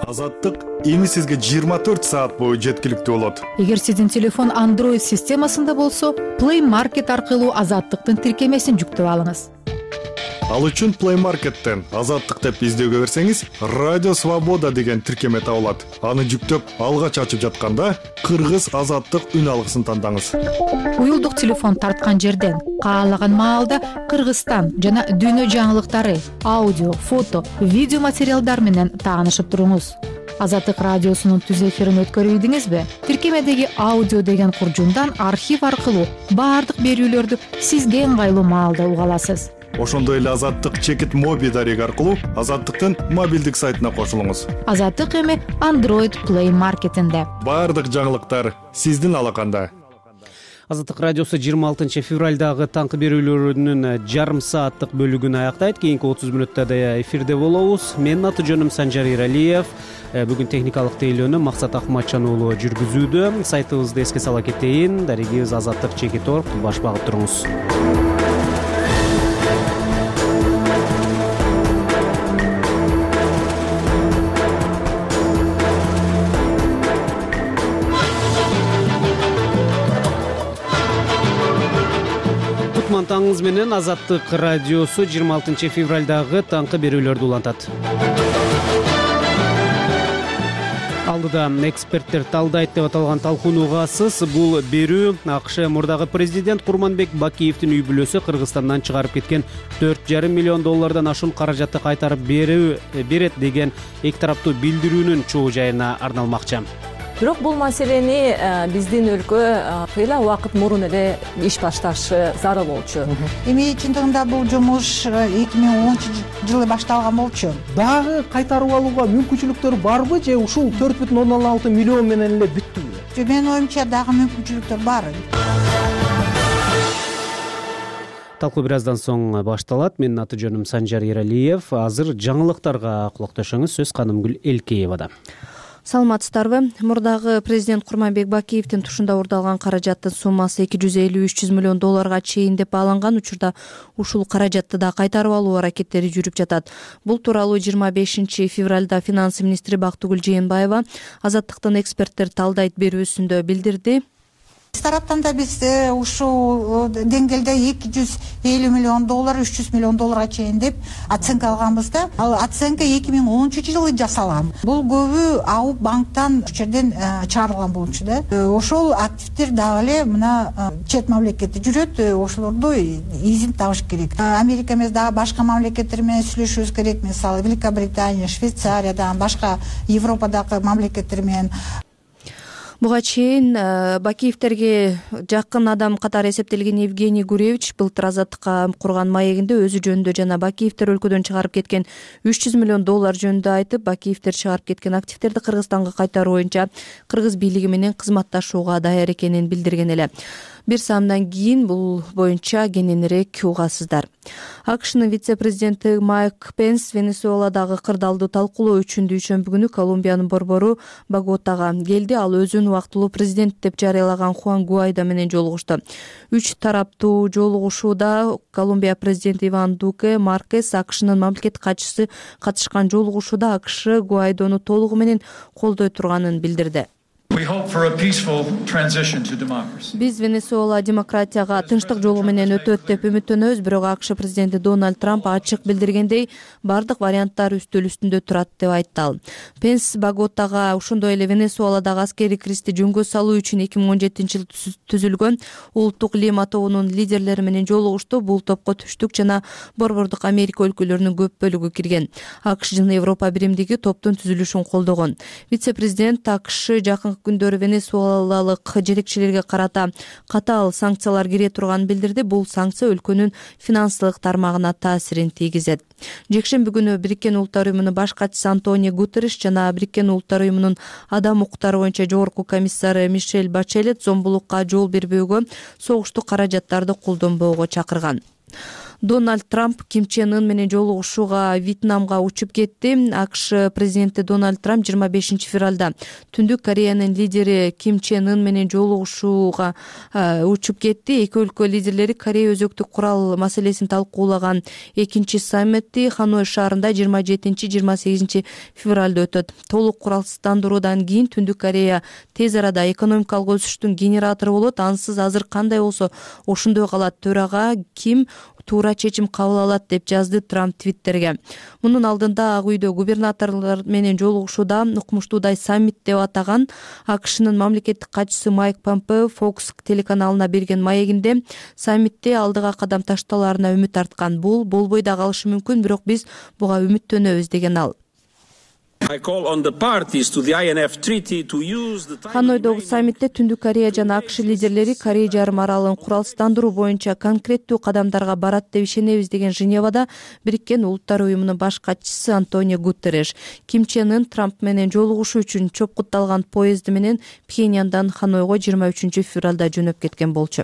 Азаттык эми сизге 24 саат бою жеткиликтүү болот. Эгер сиздин телефон Android системасында болсо, Play Market аркылуу Азаттыктын тиркемесин жүктөп алыңыз. Ал үчүн Play Market'тен Азаттык деп издөөгө берсеңиз, Радио Свобода деген тиркеме табылат. Аны жүктөп, алгач ачып жатканда Кыргыз Азаттык үн алгысын тандаңыз. Уюлдук телефон тарткан жерден каалаган маалда Кыргызстан жана дүйнө жаңылыктары, аудио, фото, видео материалдар менен таанышып туруңуз. Азаттык радиосунун түз эфирин өткөрүбүдүңүзбү? Тиркемедеги аудио деген куржундан архив аркылуу баардык берүүлөрдү сизге ыңгайлуу маалда уга аласыз. ошондой эле Азаттык чекит моби дареги аркылуу Азаттыктын мобилдик сайтына кошулуңуз. Азаттык эми Android Play маркетинде. Баардык жаңылыктар сиздин алаканда. Азаттык радиосу 26 февралдагы таңкы берүүлөрүнүн жарым сааттык бөлүгүн аяктайт. Кийинки 30 мүнөттө эфирде болобуз. Менин аты жөнүм Санжар Иралиев. Бүгүн техникалык тейлөөнү Максат Акматжан уулу жүргүзүүдө. Сайтыбызды эске сала кетейин. Дарегибиз Азаттык чекит.org. Баш багып туруңуз. Таңыңыз менен Азаттык радиосу 26 февралдагы таңкы берүүлөрдү улантат. Алдыда эксперттер талдайт деп аталган талкууну угасыз. Бул берүү АКШ мурдагы президент Курманбек Бакиевдин үй бүлөсү Кыргызстандан чыгарып кеткен $4,5 миллион ашуун каражатты кайтарып берет деген эки тараптуу билдирүүнүн чоо жайына арналмакчы. Бирок бул маселени биздин өлкө кыйла убакыт мурун эле иш башташы зарыл болчу. Эми чындыгында бул жумуш 2010 жылы башталган болчу. Дагы кайтарып алууга мүмкүнчүлүктөр барбы же ушул 4,6 миллион менен эле бүттүбү? Менин оюмча дагы мүмкүнчүлүктөр бар. Талкуу бир аздан соң башталат. Менин аты жөнүм Санжар Иралиев. Азыр жаңылыктарга кулакташыңыз. Сөз Канымгүл Элкеевада. Саламатсыздарбы? Мурдагы президент Курманбек Бакиевдин тушунда уурдалган каражаттын суммасы $250-300 миллион чейин деп бааланган учурда ушул каражатты да кайтарып алуу аракеттери жүрүп жатат. Бул тууралуу 25 февралда финансы министри Бактыгүл Жээнбаева Азаттыктын эксперттер талдайт берүүсүндө билдирди. Биз тараптан да биз ушул деңгээлде $250 миллион, $300 миллион чейин деп оценка алганбыз да. Ал оценка 2013 жылы жасалган. Бул көбү АУ банктан жерден чыгарылган болчу да. Ошол активдер дагы эле мына чет мамлекетте жүрөт, ошолорду изин табыш керек. Америка эмес дагы башка мамлекеттер менен сүйлөшүбүз керек. Мисалы Великобритания, Швейцариядан, башка Европадагы мамлекеттер менен. Буга чейин Бакиевтерге жакын адам катары эсептелген Евгений Гуревич былтыр Азаттыкка курган маегинде өзү жөнүндө жана Бакиевтер өлкөдөн чыгарып кеткен $300 миллион жөнүндө айтып, Бакиевтер чыгарып кеткен активдерди Кыргызстанга кайтаруу боюнча кыргыз бийлиги менен кызматташууга даяр экенин билдирген эле. Бир саамдан кийин бул боюнча кененирээк угасыздар. АКШнын вице-президенти Майк Пенс Венесуэладагы кырдаалды талкуулоо үчүн дүйшөмбү күнү Колумбиянын борбору Боготага келди. Ал өзүн убактылуу президент деп жарыялаган Хуан Гуайдо менен жолугушту. 3 тараптуу жолугушууда Колумбия президенти Иван Дуке Маркес, АКШнын мамлекеттик катчысы катышкан жолугушууда АКШ Гуайдону толугу менен колдой турганын билдирди. Биз Венесуэла демократияга тынчтык жолу менен өтөт деп үмүттөнөбүз, бирок АКШ президенти Дональд Трамп ачык билдиргендей, бардык варианттар үстөл үстүндө турат деп айтты ал. Пенс Боготага ошондой эле Венесуэладагы аскерий кризисти жөнгө салуу үчүн 2017 жылы түзүлгөн Улуттук Лима тобунун лидерлери менен жолугушту. Бул топко Түштүк жана Борбордук Америка өлкөлөрүнүн көп бөлүгү кирген. АКШ жана Европа биримдиги топтун түзүлүшүн колдогон. Вице-президент АКШ жакын күндөрү венесуэлалык жетекчилерге карата катаал санкциялар кире турганын билдирди. Бул санкция өлкөнүн финансылык тармагына таасирин тийгизет. Жекшемби күнү Бириккен Улуттар уюмунун баш катчысы Антонио Гутерриш жана Бириккен Улуттар уюмунун адам укуктары боюнча жогорку комиссары Мишель Бачелет зомбулукка жол бербөөгө, согуштук каражаттарды колдонбоого чакырган. Дональд Трамп Ким Чен Ын менен жолугушууга Вьетнамга учуп кетти. АКШ президенти Дональд Трамп 25 февралда Түндүк Кореянын лидери Ким Чен Ын менен жолугушууга учуп кетти. Эки өлкө лидерлери Корея өзөктүк курал маселесин талкуулаган экинчи саммити Ханой шаарында 27-28 февралда өтөт. Толук куралсыздандыруудан кийин Түндүк Корея тез арада экономикалык өсүштүн генератору болот. Ансыз азыр кандай болсо ошондой калат. Төрага Ким туура чечим кабыл алат деп жазды Трамп Твиттерге. Мунун алдында Ак үйдө губернаторлор менен жолугушууда укмуштуудай саммит деп атаган АКШнын мамлекеттик катчысы Майк Помпео Fox телеканалына берген маегинде саммитте алдыга кадам ташталарына үмүт арткан. Бул болбой да калышы мүмкүн, бирок биз буга үмүттөнөбүз деген ал. Ханойдогу саммитте Түндүк Корея жана АКШ лидерлери Корея жарым аралын куралсыздандыруу боюнча конкреттүү кадамдарга барат деп ишенебиз деген Женевада Бириккен Улуттар уюмунун баш катчысы Антонио Гутерреш Ким Чен Ын Трамп менен жолугушуу үчүн чопкутталган поезди менен Пхеньяндан Ханойго 23 февралда жөнөп кеткен болчу.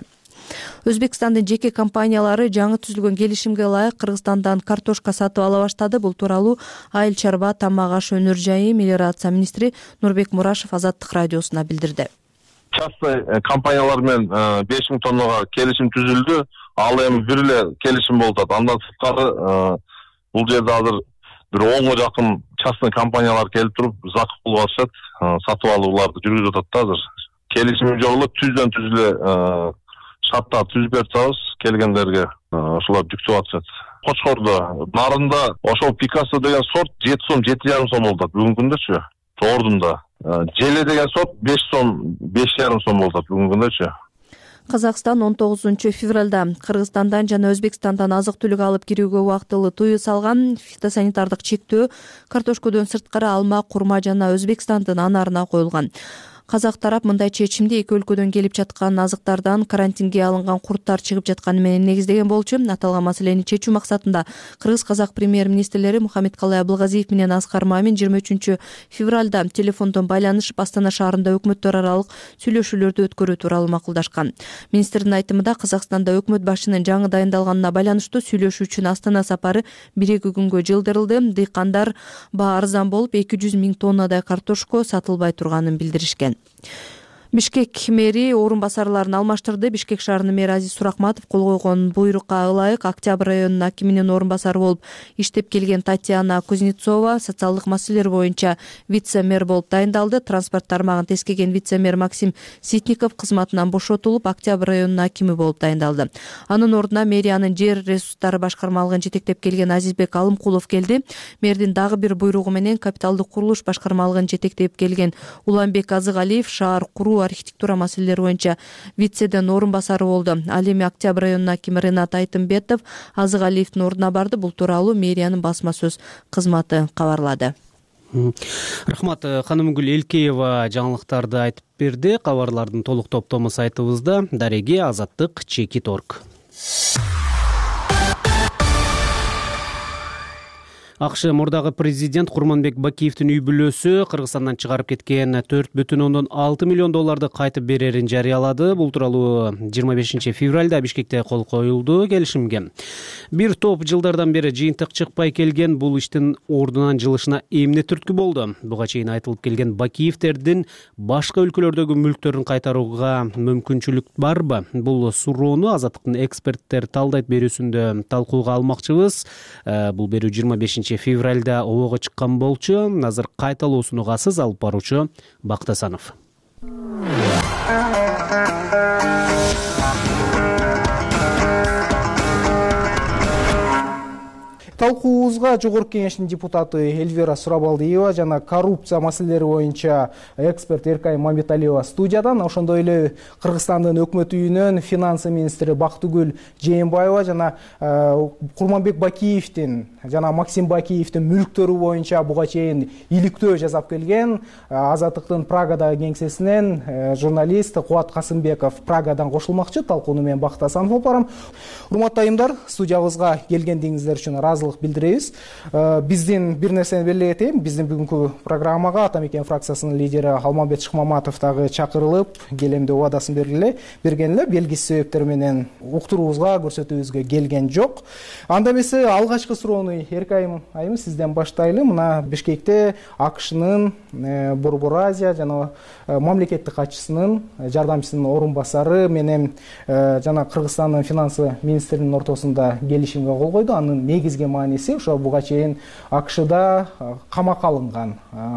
Өзбекстандын жеке компаниялары жаңы түзүлгөн келишимге ылайык Кыргызстандан картошка сатып ала баштады. Бул тууралуу Айыл чарба, тамак аш өнөр жайы, мелиорация министри Нурбек Мурашев Азаттык радиосуна билдирди. Частный компаниялар менен 5000 тоннага келишим түзүлдү. Ал эми бир эле келишим болуп атат. Андан сырткары бул жерде азыр бир 10 жакын частный компаниялар келип туруп закуп кылып атышат. Сатып алууларды жүргүзүп атат да азыр. Келишим жолу түздөн түз эле шарттар түзүп берип атабыз келгендерге, ошолор жүктөп атышат. Кочкордо, Нарында ошол Пикассо деген сорт 7 сом, 7,5 сом болуп атат бүгүнкү күндөчү. Ордунда Желе деген сорт 5 сом, 5,5 сом болуп атат бүгүнкү күндөчү. Казакстан 19 февралда Кыргызстандан жана Өзбекстандан азык-түлүк алып кирүүгө убактылуу тыюу салган. Фитосанитардык чектөө картошкодон сырткары алма, курма жана Өзбекстандын анарына коюлган. Казак тарап мындай чечимди эки өлкөдөн келип жаткан азыктардан карантинге алынган курттар чыгып жатканы менен негиздеген болчу. Аталган маселени чечүү максатында Кыргыз-Казак премьер-министрлери Мухаммедкалый Абылгазиев менен Аскар Мамин 23 февралда телефондон байланышып Астана шаарында өкмөттөр аралык сүйлөшүүлөрдү өткөрүү тууралуу макулдашкан. Министрдин айтымында Казакстанда өкмөт башчынын жаңы дайындалганына байланыштуу сүйлөшүү үчүн Астана сапары 1-2 күнгө жылдырылды. Дыйкандар баа арзан болуп 200 000 тоннадай картошко сатылбай турганын билдиришкен. Бишкек мэри орун басарларын алмаштырды. Бишкек шаарынын мэри Азиз Суракматов кол койгон буйрукка ылайык Октябрь районунун акиминин орун басары болуп иштеп келген Татьяна Кузнецова социалдык маселелер боюнча вице-мэр болуп дайындалды. Транспорт тармагын тескеген вице-мэр Максим Ситников кызматынан бошотулуп Октябрь районунун акими болуп дайындалды. Анын ордуна мэриянын жер ресурстары башкармалыгын жетектеп келген Азизбек Алымкулов келди. Мэрдин дагы бир буйругу менен капиталдык курулуш башкармалыгын жетектеп келген Уланбек Азыгалиев шаар куруу архитектура маселелери боюнча вицеден орун басары болду. Ал эми Октябрь районунун акими Ренат Айтымбетов Азыгалиевдин ордуна барды. Бул тууралуу мэриянын басма сөз кызматы кабарлады. Рахмат. Ханымгүл Элкеева жаңылыктарды айтып берди. Кабарлардын толук топтому сайтыбызда. Дареги Азаттык Чекит.org. АКШ мурдагы президент Курманбек Бакиевдин үй бүлөсү Кыргызстандан чыгарып кеткен $4,6 миллион кайтып берерин жарыялады. Бул тууралуу 25 февралда Бишкекте кол коюлду келишимге. Бир топ жылдардан бери жыйынтык чыкпай келген бул иштин ордунан жылышына эмне түрткү болду? Буга чейин айтылып келген Бакиевдердин башка өлкөлөрдөгү мүлктөрүн кайтарууга мүмкүнчүлүк барбы? Бул суроону Азаттыктын эксперттер талдайт берүүсүндө талкууга алмакчыбыз. Бул берүү 25 февралда обого чыккан болчу. Азыр кайталоосун угасыз алып баруучу Бактасанов. Талкуубузга Жогорку кеңештин депутаты Эльвира Сурабалдиева жана коррупция маселелери боюнча эксперт Эркай Мамбеталиева студиядан, ошондой эле Кыргызстандын өкмөт үйүнөн финансы министри Бактыгүл Жээнбаева жана Курманбек Бакиевдин жана Максим Бакиевдин мүлктөрү боюнча буга чейин иликтөө жасап келген Азаттыктын Прагадагы кеңсесинен журналист Кубат Касымбеков Прагадан кошулмакчы. Талкууну мен Бактасанов алып барам. Урматтуу айымдар, студиябызга келгендигиңиздер үчүн ыраазылык билдиребиз. Биздин бир нерсени белгилей кетейин. Биздин бүгүнкү программага Ата Мекен фракциясынын лидери Алмамбет Шыкмаматов дагы чакырылып, келем деп убадасын берген эле. Белгисиз себептер менен уктуруубузга, көрсөтүүбүзгө келген жок. Анда эмесе алгачкы суроону Эркай айым сизден баштайлы. Мына Бишкекте АКШнын Борбор Азия жана мамлекеттик катчысынын жардамчысынын орун басары менен жана Кыргызстандын финансы министринин ортосунда келишимге кол койду. Анын негизги мааниси ошо буга чейин АКШда камакка алынган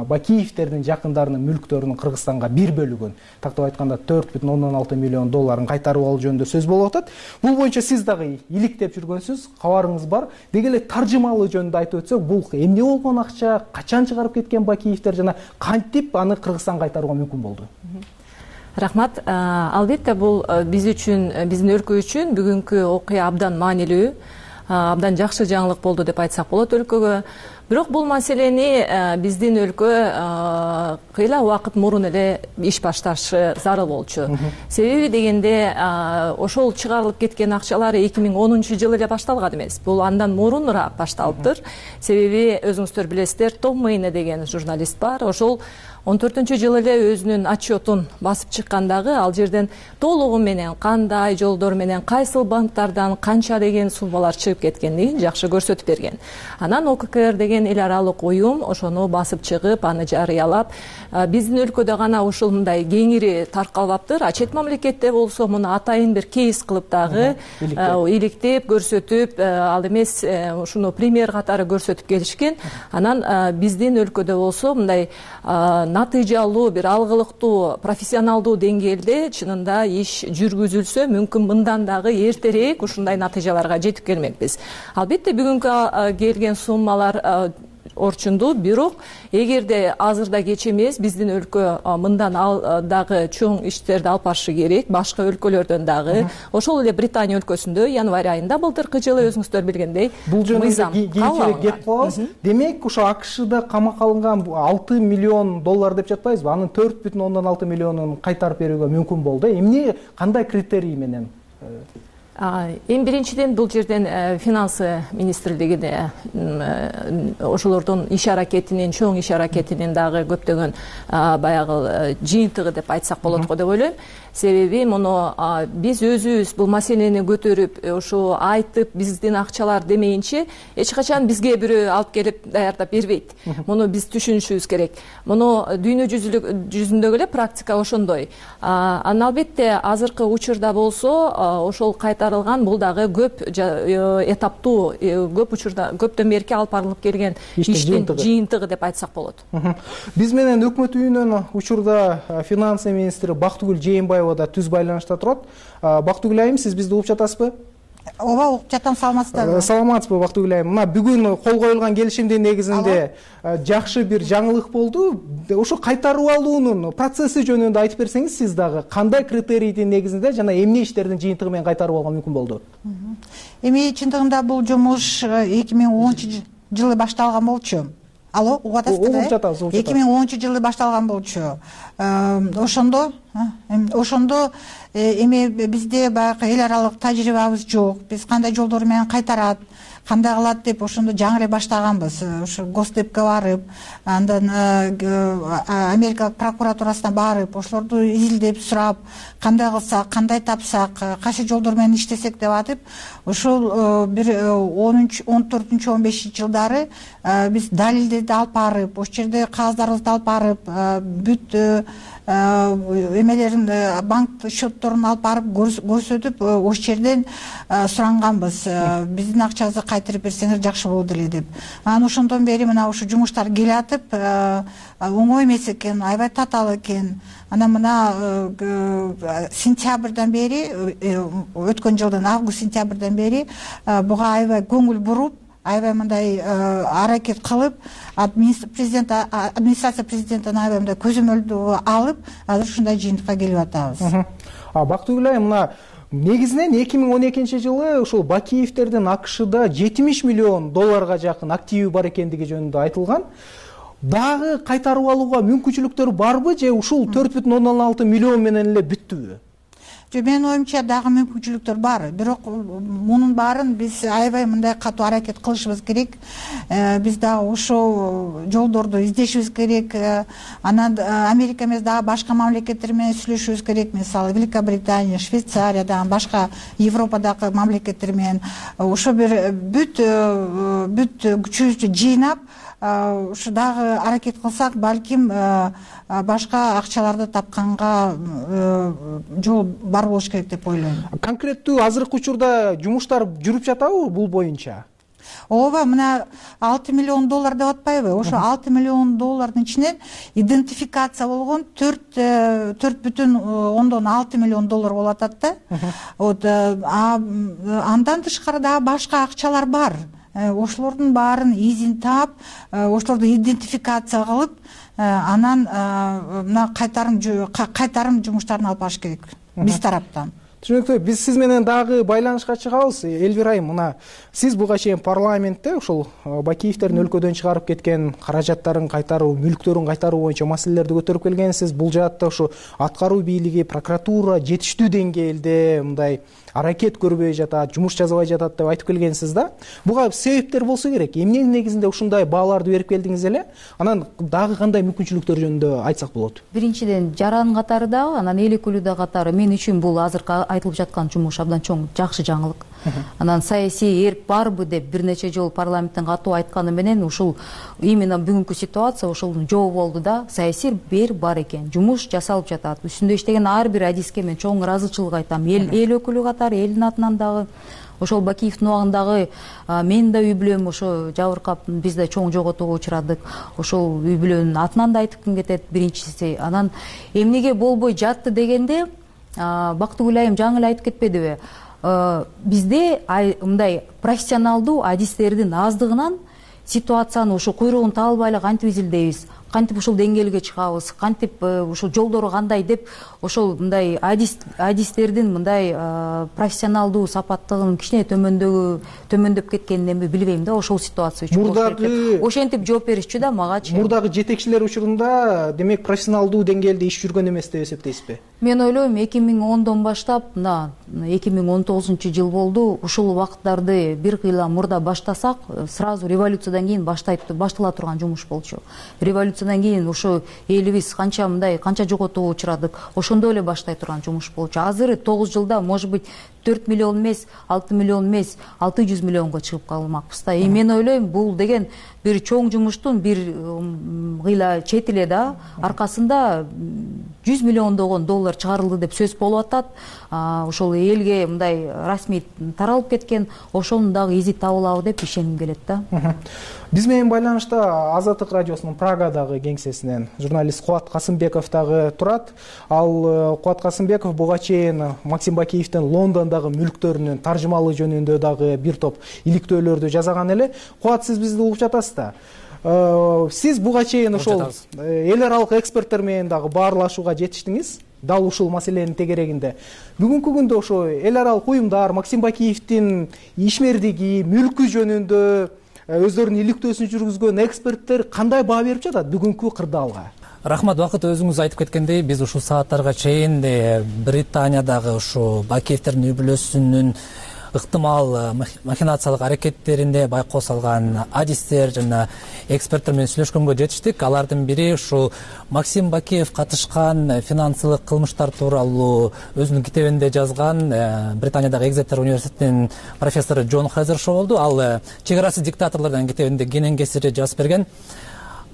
Бакиевдердин жакындарынын мүлктөрүнүн Кыргызстанга бир бөлүгүн, тактап айтканда $4,6 миллион кайтарып алуу жөнүндө сөз болуп атат. Бул боюнча сиз дагы иликтеп жүргөнсүз, кабарыңыз бар. Деги эле таржымалуу жөнүндө айтып өтсөк, бул эмне болгон акча, качан чыгарып кеткен Бакиевдер жана кантип аны Кыргызстанга кайтарууга мүмкүн болду? Рахмат. Албетте бул биз үчүн, биздин өлкө үчүн бүгүнкү окуя абдан маанилүү, абдан жакшы жаңылык болду деп айтсак болот өлкөгө. бирок бул маселени биздин өлкө кыйла убакыт мурун эле иш башташы зарыл болчу. Себеби дегенде ошол чыгарылып кеткен акчалар 2010 эле башталган эмес. Бул андан мурунураак башталыптыр. Себеби өзүңүздөр билесиздер, Том Мейне деген журналист бар. Ошол 14-жылы эле өзүнүн отчетун басып чыккандагы ал жерден толугу менен кандай жолдор менен кайсыл банктардан канча деген суммалар чыгып кеткендигин жакшы көрсөтүп берген. Анан ОККР деген эл аралык уюм ошону басып чыгып, аны жарыялап, биздин өлкөдө гана ушул мындай кеңири таркалбаптыр. Чет мамлекетте болсо муну атайын бир кейс кылып дагы иликтеп көрсөтүп, ал эмес ушуну пример катары көрсөтүп келишкен. Анан биздин өлкөдө болсо мындай натыйжалуу, бир алгылыктуу, профессионалдуу деңгээлде чынында иш жүргүзүлсө, мүмкүн мындан дагы эртерээк ушундай натыйжаларга жетип келмекпиз. Албетте бүгүнкү келген суммалар орчундуу, бирок эгерде азырда кеч эмес, биздин өлкө мындан дагы чоң иштерди алып барышы керек, башка өлкөлөрдөн дагы. Ошол эле Британия өлкөсүндө январь айында былтыркы жылы өзүңүздөр билгендей бул жөнүндө кийинчерээк кеп калабыз. Демек ошо АКШда камакка алынган 6 миллион доллар деп жатпайбызбы? Анын 4,6 миллионун кайтарып берүүгө мүмкүн болду. Эмне, кандай критерий менен? Эң биринчиден бул жерден финансы министрлигине ошолордун иш аракетинин, чоң иш аракетинин дагы көптөгөн баягы жыйынтыгы деп айтсак болот го деп ойлойм. Себеби муну биз өзүбүз бул маселени көтөрүп, ошо айтып, биздин акчалар демейинче эч качан бизге бирөө алып келип даярдап бербейт. Муну биз түшүнүшүбүз керек. Муну дүйнө жүзүндөгү эле практика ошондой. Анан албетте азыркы учурда болсо ошол кайтарылган бул дагы көп этаптуу, көп учурда көптөн берки алып барылып келген иштин жыйынтыгы деп айтсак болот. Биз менен өкмөт үйүнөн учурда финансы министри Бактыгүл Жээнбаева да түз байланышта турат. Бактыгүл айым, сиз бизди угуп жатасызбы? Ооба, угуп жатам, саламатсыздарбы? Саламатсызбы, Бактыгүл айым. Мына бүгүн кол коюлган келишимдин негизинде жакшы бир жаңылык болду. Ошо кайтарып алуунун процесси жөнүндө айтып берсеңиз, сиз дагы кандай критерийдин негизинде жана эмне иштердин жыйынтыгы менен кайтарып алууга мүмкүн болду? Эми чындыгында бул жумуш 2010-жылы башталган болчу. Алло, угуп атасызбы? Угуп жатабыз. 2010-жылы башталган болчу. Ошондо эми бизде баягы эл аралык тажрыйбабыз жок. Биз кандай жолдор менен кайтарат, кандай кылат деп ошондо жаңы эле баштаганбыз. Ошо Госдепке барып, андан Америка прокуратурасына барып, ошолорду изилдеп сурап, кандай кылсак, кандай тапсак, кайсы жолдор менен иштесек деп атып, ошол бир 14-15 жылдары биз далилдерди алып барып, ошол жерде кагаздарды алып барып, бүт эмелерин, банк счетторун алып барып көрсөтүп, ошол жерден суранганбыз. Биздин акчабызды кайтарып берсеңиз жакшы болот эле деп. Анан ошондон бери мына ушу жумуштар келатып, оңой эмес экен, аябай татаал экен. Анан мына сентябрдан бери, өткөн жылдын август-сентябрдан бери буга аябай көңүл буруп, аябай мындай аракет кылып, администрация президенттин аябай мындай көзөмөлдү алып, азыр ушундай жыйынтыкка келип атабыз. Бактыгүл айым, мына негизинен 2012-жылы ушул Бакиевтердин АКШда 70 миллион долларга жакын активи бар экендиги жөнүндө айтылган. Дагы кайтарып алууга мүмкүнчүлүктөр барбы же ушул 4,6 миллион менен эле бүттүбү? Менин оюмча дагы мүмкүнчүлүктөр бар. Бирок мунун баарын биз аябай мындай катуу аракет кылышыбыз керек. Биз дагы ошол жолдорду издешибиз керек. Анан Америка эмес дагы башка мамлекеттер менен сүйлөшүбүз керек. Мисалы Великобритания, Швейцария, дагы башка Европадагы мамлекеттер менен ошо бир бүт күчүбүздү жыйнап, ушу дагы аракет кылсак, балким башка акчаларды тапканга жол бар болуш керек деп ойлойм. Конкреттүү азыркы учурда жумуштар жүрүп жатабы бул боюнча? Ооба, мына 6 миллион доллар деп атпайбы? Ошо 6 миллион доллардын ичинен идентификация болгон 4,6 миллион доллар болуп атат да. Андан тышкары дагы башка акчалар бар. Ошолордун баарын изин таап, ошолорду идентификация кылып, анан мына кайтарым жумуштарын алып барыш керек биз тараптан. Түшүнүктүү. Биз сиз менен дагы байланышка чыгабыз. Элвира айым, мына сиз буга чейин парламентте ушул Бакиевдердин өлкөдөн чыгарып кеткен каражаттарын кайтаруу, мүлктөрүн кайтаруу боюнча маселелерди көтөрүп келгенсиз. Бул жаатта ушу аткаруу бийлиги, прокуратура жетиштүү деңгээлде мындай аракет көрбөй жатат, жумуш жасабай жатат деп айтып келгенсиз да. Буга себептер болсо керек. Эмненин негизинде ушундай бааларды берип келдиңиз эле? Анан дагы кандай мүмкүнчүлүктөр жөнүндө айтсак болот? Биринчиден жаран катары дагы, анан эл өкүлү катары мен үчүн бул азыркы айтылып жаткан жумуш абдан чоң жакшы жаңылык. Анан саясий эрк барбы деп бир нече жолу парламенттен катуу айтканы менен ушул именно бүгүнкү ситуация ушул жоо болду да. Саясий эрк бар экен, жумуш жасалып жатат. Үстүндө иштеген ар бир адиске мен чоң ыраазычылык айтам. Эл өкүлү катары, элдин атынан дагы. Ошол Бакиевдин убагындагы мен да үй бүлөм ошо жабыркап, биз да чоң жоготууга учурадык. Ошол үй бүлөнүн атынан да айткым кетет биринчиси. Анан эмнеге болбой жатты дегенде, Бактыгүл айым жаңы эле айтып кетпедиби? Бизде мындай профессионалдуу адистердин аздыгынан ситуацияны ушу куйругун таба албай эле кантип изилдейбиз, кантип ушул деңгээлге чыгабыз, кантип ушул жолдору кандай деп ошол мындай адистердин мындай профессионалдуу сапаттыгынын кичине төмөндөп кеткенин эми билбейм да. Ошол ситуация үчүн мурдагы ошентип жооп беришчү да магачы. Мурдагы жетекчилер учурунда демек профессионалдуу деңгээлде иш жүргөн эмес деп эсептейсизби? Мен ойлойм 2010дон баштап мына 2019 жыл болду. Ушул убакыттарды бир кыйла мурда баштасак, сразу революциядан кийин баштала турган жумуш болчу. Революциядан кийин ушу элибиз канча жоготууга учурадык, ошондой эле баштай турган жумуш болчу. Азыр 9 жылда может быть 4 миллион эмес, 6 миллион эмес, 600 миллионго чыгып калмакпыз да. Мен ойлойм, бул деген бир чоң жумуштун бир кыйла чет эле да аркасында 100 миллиондогон доллар чыгарылды деп сөз болуп атат. Ошол элге мындай расмий таралып кеткен, ошонун дагы изи табылабы деп ишенгим келет да. Биз менен байланышта Азаттык радиосунун Прагадагы кеңсесинен журналист Кубат Касымбеков дагы турат. Ал Кубат Касымбеков буга чейин Максим Бакиевдин Лондондогу мүлктөрүнүн таржымалыгы жөнүндө дагы бир топ иликтөөлөрдү жасаган эле. Кубат, сиз бизди угуп жатасыз да. Сиз буга чейин ошол эл аралык эксперттер менен дагы баарлашууга жетиштиңиз. Дал ушул маселенин тегерегинде. Бүгүнкү күндө ошо эл аралык уюмдар Максим Бакиевдин ишмердиги, мүлкү жөнүндө өздөрүнүн иликтөөсүн жүргүзгөн эксперттер кандай баа берип жатат бүгүнкү кырдаалга? Рахмат, Бакыт, өзүңүз айтып кеткендей, биз ушул сааттарга чейин Британиядагы ушу Бакиевдердин үй бүлөсүнүн ыктымал махинациялык аракеттеринде байкоо салган адистер жана эксперттер менен сүйлөшкөнгө жетиштик. Алардын бири ушул Максим Бакиев катышкан финансылык кылмыштар тууралуу өзүнүн китебинде жазган Британиядагы Экзетер университетинин профессору Джон Хезершоу болду. Ал Чек арасы диктаторлордун китебинде кенен кесири жазып берген.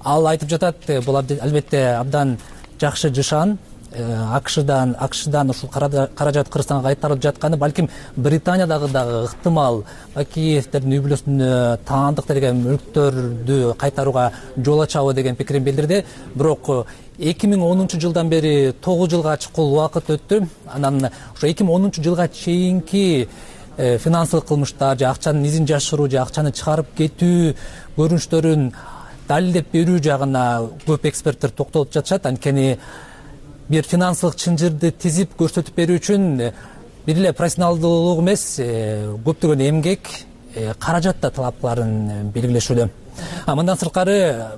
Ал айтып жатат, бул албетте абдан жакшы жышан. АКШдан ушул каражат Кыргызстанга кайтарылып жатканы балким Британиядагы дагы ыктымал Бакиевдердин үй бүлөсүнө таандык деген мүлктөрдү кайтарууга жол ачабы деген пикирин билдирди. Бирок 2010 жылдан бери 9 жылга чукул убакыт өттү. Анан ошо 2010 жылга чейинки финансылык кылмыштар же акчанын изин жашыруу же акчаны чыгарып кетүү көрүнүштөрүн далилдеп берүү жагына көп эксперттер токтолуп жатышат. Анткени бир финансылык чынжырды тизип көрсөтүп берүү үчүн бир эле профессионалдуулук эмес, көптөгөн эмгек, каражат да талап кыларын белгилешүүдө. Мындан сырткары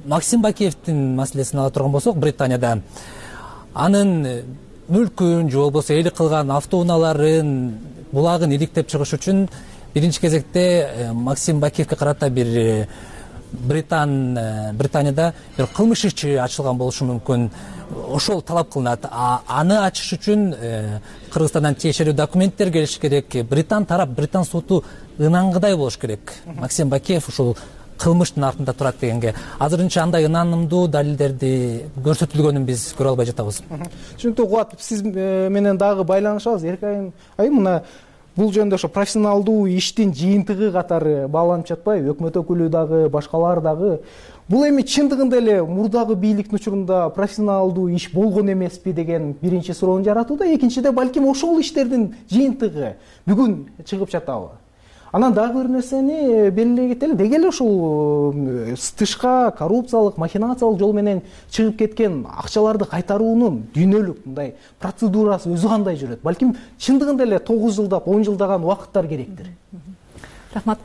Максим Бакиевдин маселесин ала турган болсок, Британияда анын мүлкүн же болбосо ээлик кылган автоунааларын, булагын иликтеп чыгыш үчүн биринчи кезекте Максим Бакиевге карата бир Британияда бир кылмыш иши ачылган болушу мүмкүн. Ошол талап кылынат. Аны ачыш үчүн Кыргызстандан тиешелүү документтер келиши керек. Британ соту ынангыдай болуш керек. Максим Бакиев ушул кылмыштын артында турат дегенге. Азырынча андай ынанымдуу далилдерди көрсөтүлгөнүн биз көрө албай жатабыз. Түшүнүктүү, Кубат, сиз менен дагы байланышабыз. Эркайым айым, мына бул жөнүндө ошо профессионалдуу иштин жыйынтыгы катары бааланып жатпайбы? Өкмөт өкүлү дагы, башкалар дагы. Бул эми чындыгында эле мурдагы бийликтин учурунда профессионалдуу иш болгон эмеспи деген биринчи суроону жаратууда. Экинчиде балким ошол иштердин жыйынтыгы бүгүн чыгып жатабы? Анан дагы бир нерсени белгилей кетели, деги эле ушул тышка коррупциялык, махинациялык жол менен чыгып кеткен акчаларды кайтаруунун дүйнөлүк мындай процедурасы өзү кандай жүрөт? Балким чындыгында эле 9 жылдап, 10 жылдаган убакыттар керектир. Рахмат.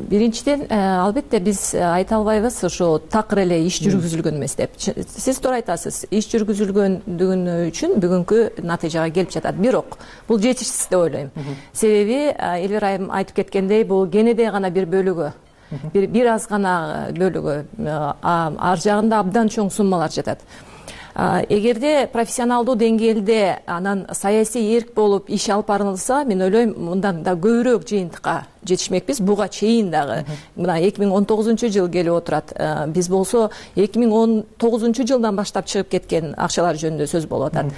Биринчиден, албетте биз айта албайбыз ушу такыр эле иш жүргүзүлгөн эмес деп. Сиз туура айтасыз. Иш жүргүзүлгөндүгү үчүн бүгүнкү натыйжага келип жатат. Бирок бул жетишсиз деп ойлойм. Себеби Элвира айым айтып кеткендей, бул кенеде гана бир бөлүгү, бир аз гана бөлүгү, ар жагында абдан чоң суммалар жатат. Эгерде профессионалдуу деңгээлде анан саясий эрк болуп иш алып барылса, мен ойлойм мындан да көбүрөөк жыйынтыкка жетишмекпиз. Буга чейин дагы мына 2019 келип отурат. Биз болсо 2019 жылдан баштап чыгып кеткен акчалар жөнүндө сөз болуп атат.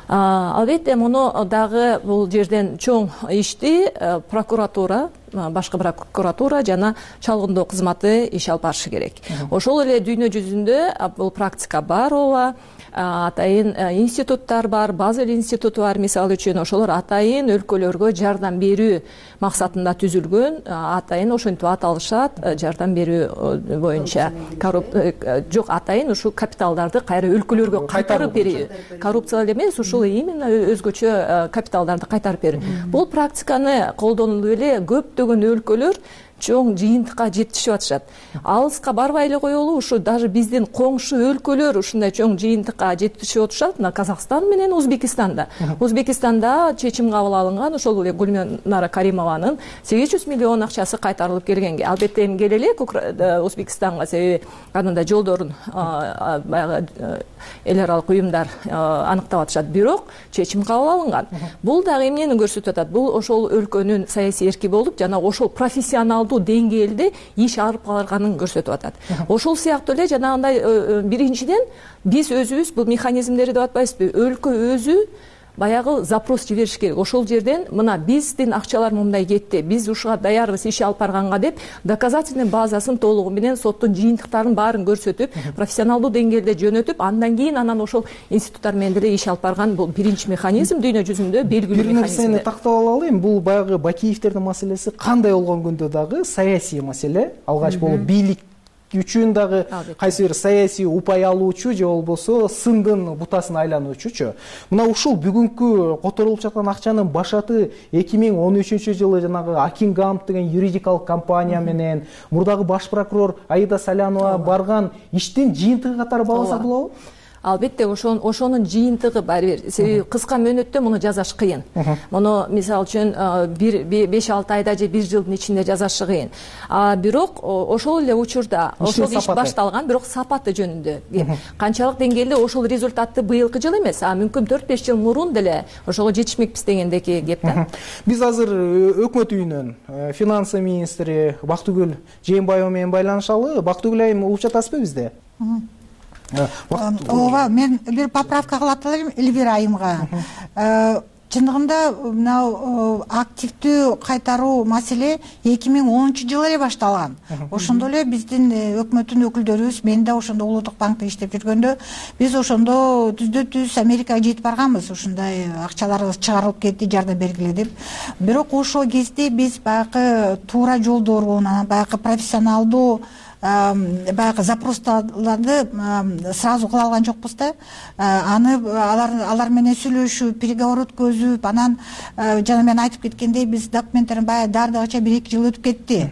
Албетте муну дагы бул жерден чоң ишти прокуратура, башкы прокуратура жана чалгындоо кызматы иш алып барышы керек. Ошол эле дүйнө жүзүндө бул практика бар, ооба. Атайын институттар бар, Базель институту бар, мисалы үчүн ошолор атайын өлкөлөргө жардам берүү максатында түзүлгөн, атайын ошентип аталышат, жардам берүү боюнча. Жок, атайын ушу капиталдарды кайра өлкөлөргө кайтарып берүү. Коррупция эмес, ушул именно өзгөчө капиталдарды кайтарып берүү. Бул практиканы колдонуп эле көптөгөн өлкөлөр чоң жыйынтыкка жетишип атышат. Алыска барбай эле коелу, ушу даже биздин коңшу өлкөлөр ушундай чоң жыйынтыкка жетишип атышат. Мына Казакстан менен Узбекистанда. Узбекистанда чечим кабыл алынган, ошол эле Гүлнара Каримованын 800 миллион акчасы кайтарылып келгенге. Албетте эми келе элек Узбекистанга, себеби анында жолдорун баягы эл аралык уюмдар аныктап атышат. Бирок чечим кабыл алынган. Бул дагы эмнени көрсөтүп атат? Бул ошол өлкөнүн саясий эрки болуп, жана ошол профессионалдуу деңгээлде иш алып барганын көрсөтүп атат. Ошол сыяктуу эле жанагындай биринчиден биз өзүбүз бул механизмдерди деп атпайбызбы? Өлкө өзү баягы запрос жибериш керек. Ошол жерден мына биздин акчалар мындай кетти, биз ушуга даярбыз иш алып барганга деп доказательный базасын толугу менен соттун жыйынтыктарын баарын көрсөтүп, профессионалдуу деңгээлде жөнөтүп, андан кийин анан ошол институттар менен деле иш алып барган бул биринчи механизм, дүйнө жүзүндө белгилүү механизм. Бир нерсени тактап алалы, бул баягы Бакиевтердин маселеси кандай болгон күндө дагы саясий маселе, алгач болуп бийлик үчүн дагы кайсы бир саясий упай алуучу же болбосо сындын бутасына айлануучучу. Мына ушул бүгүнкү которулуп жаткан акчанын башаты 2013 жылы жанагы Акингамп деген юридикалык компания менен мурдагы баш прокурор Аида Салянова барган иштин жыйынтыгы катары багылса болобу? Албетте ошонун жыйынтыгы бар. Себеби кыска мөөнөттө муну жасаш кыйын. Муну мисалы үчүн 5-6 айда же 1 жылдын ичинде жасашы кыйын. Бирок ошол эле учурда ошол иш башталган, бирок сапаты жөнүндө канчалык деңгээлде ошол результатты быйылкы жыл эмес, мүмкүн 4-5 жыл мурун деле ошого жетишмекпиз дегендеги кеп да. Биз азыр өкмөт үйүнөн финансы министри Бактыгүл Жээнбаева менен байланышалы. Бактыгүл айым угуп жатасызбы бизде? Ооба, мен бир поправка кылат элем Элвира айымга. Чындыгында мына активдүү кайтаруу маселе 2010 жылы эле башталган. Ошондо эле биздин өкмөттүн өкүлдөрүбүз, мен да ошондо Улуттук банкта иштеп жүргөндө, биз ошондо түздө-түз Америкага жетип барганбыз. Ушундай акчаларыбыз чыгарылып кетти, жардам бергиле деп. Бирок ошол кезде биз баягы туура жолдорун, анан баягы профессионалдуу баягы запростарды сразу кыла алган жокпуз да. Аны алар менен сүйлөшүп, переговор өткөзүп, анан жана мен айтып кеткендей, биз документтерин баягы дардыгача 1-2 жыл өтүп кетти.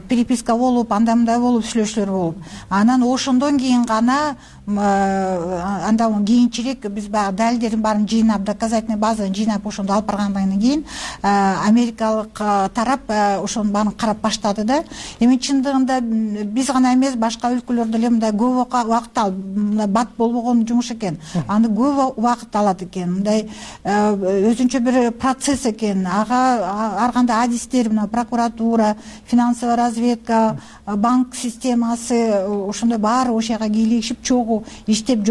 Переписка болуп, андай мындай болуп, сүйлөшүүлөр болуп. Анан ошондон кийин гана андан кийинчерээк биз баягы далилдердин баарын жыйнап, доказательный базаны жыйнап ошондо алып баргандан кийин америкалык тарап ошонун баарын карап баштады да. Эми чындыгында биз гана эмес, башка өлкөлөр деле мындай көп убакыт алып, бат болбогон жумуш экен. Аны көп убакыт алат экен. Мындай өзүнчө бир процесс экен. Ар кандай адистер, мына прокуратура, финансовая разведка, банк системасы, ошондой баары ошол жака кийлигишип чогуу ушул иштеп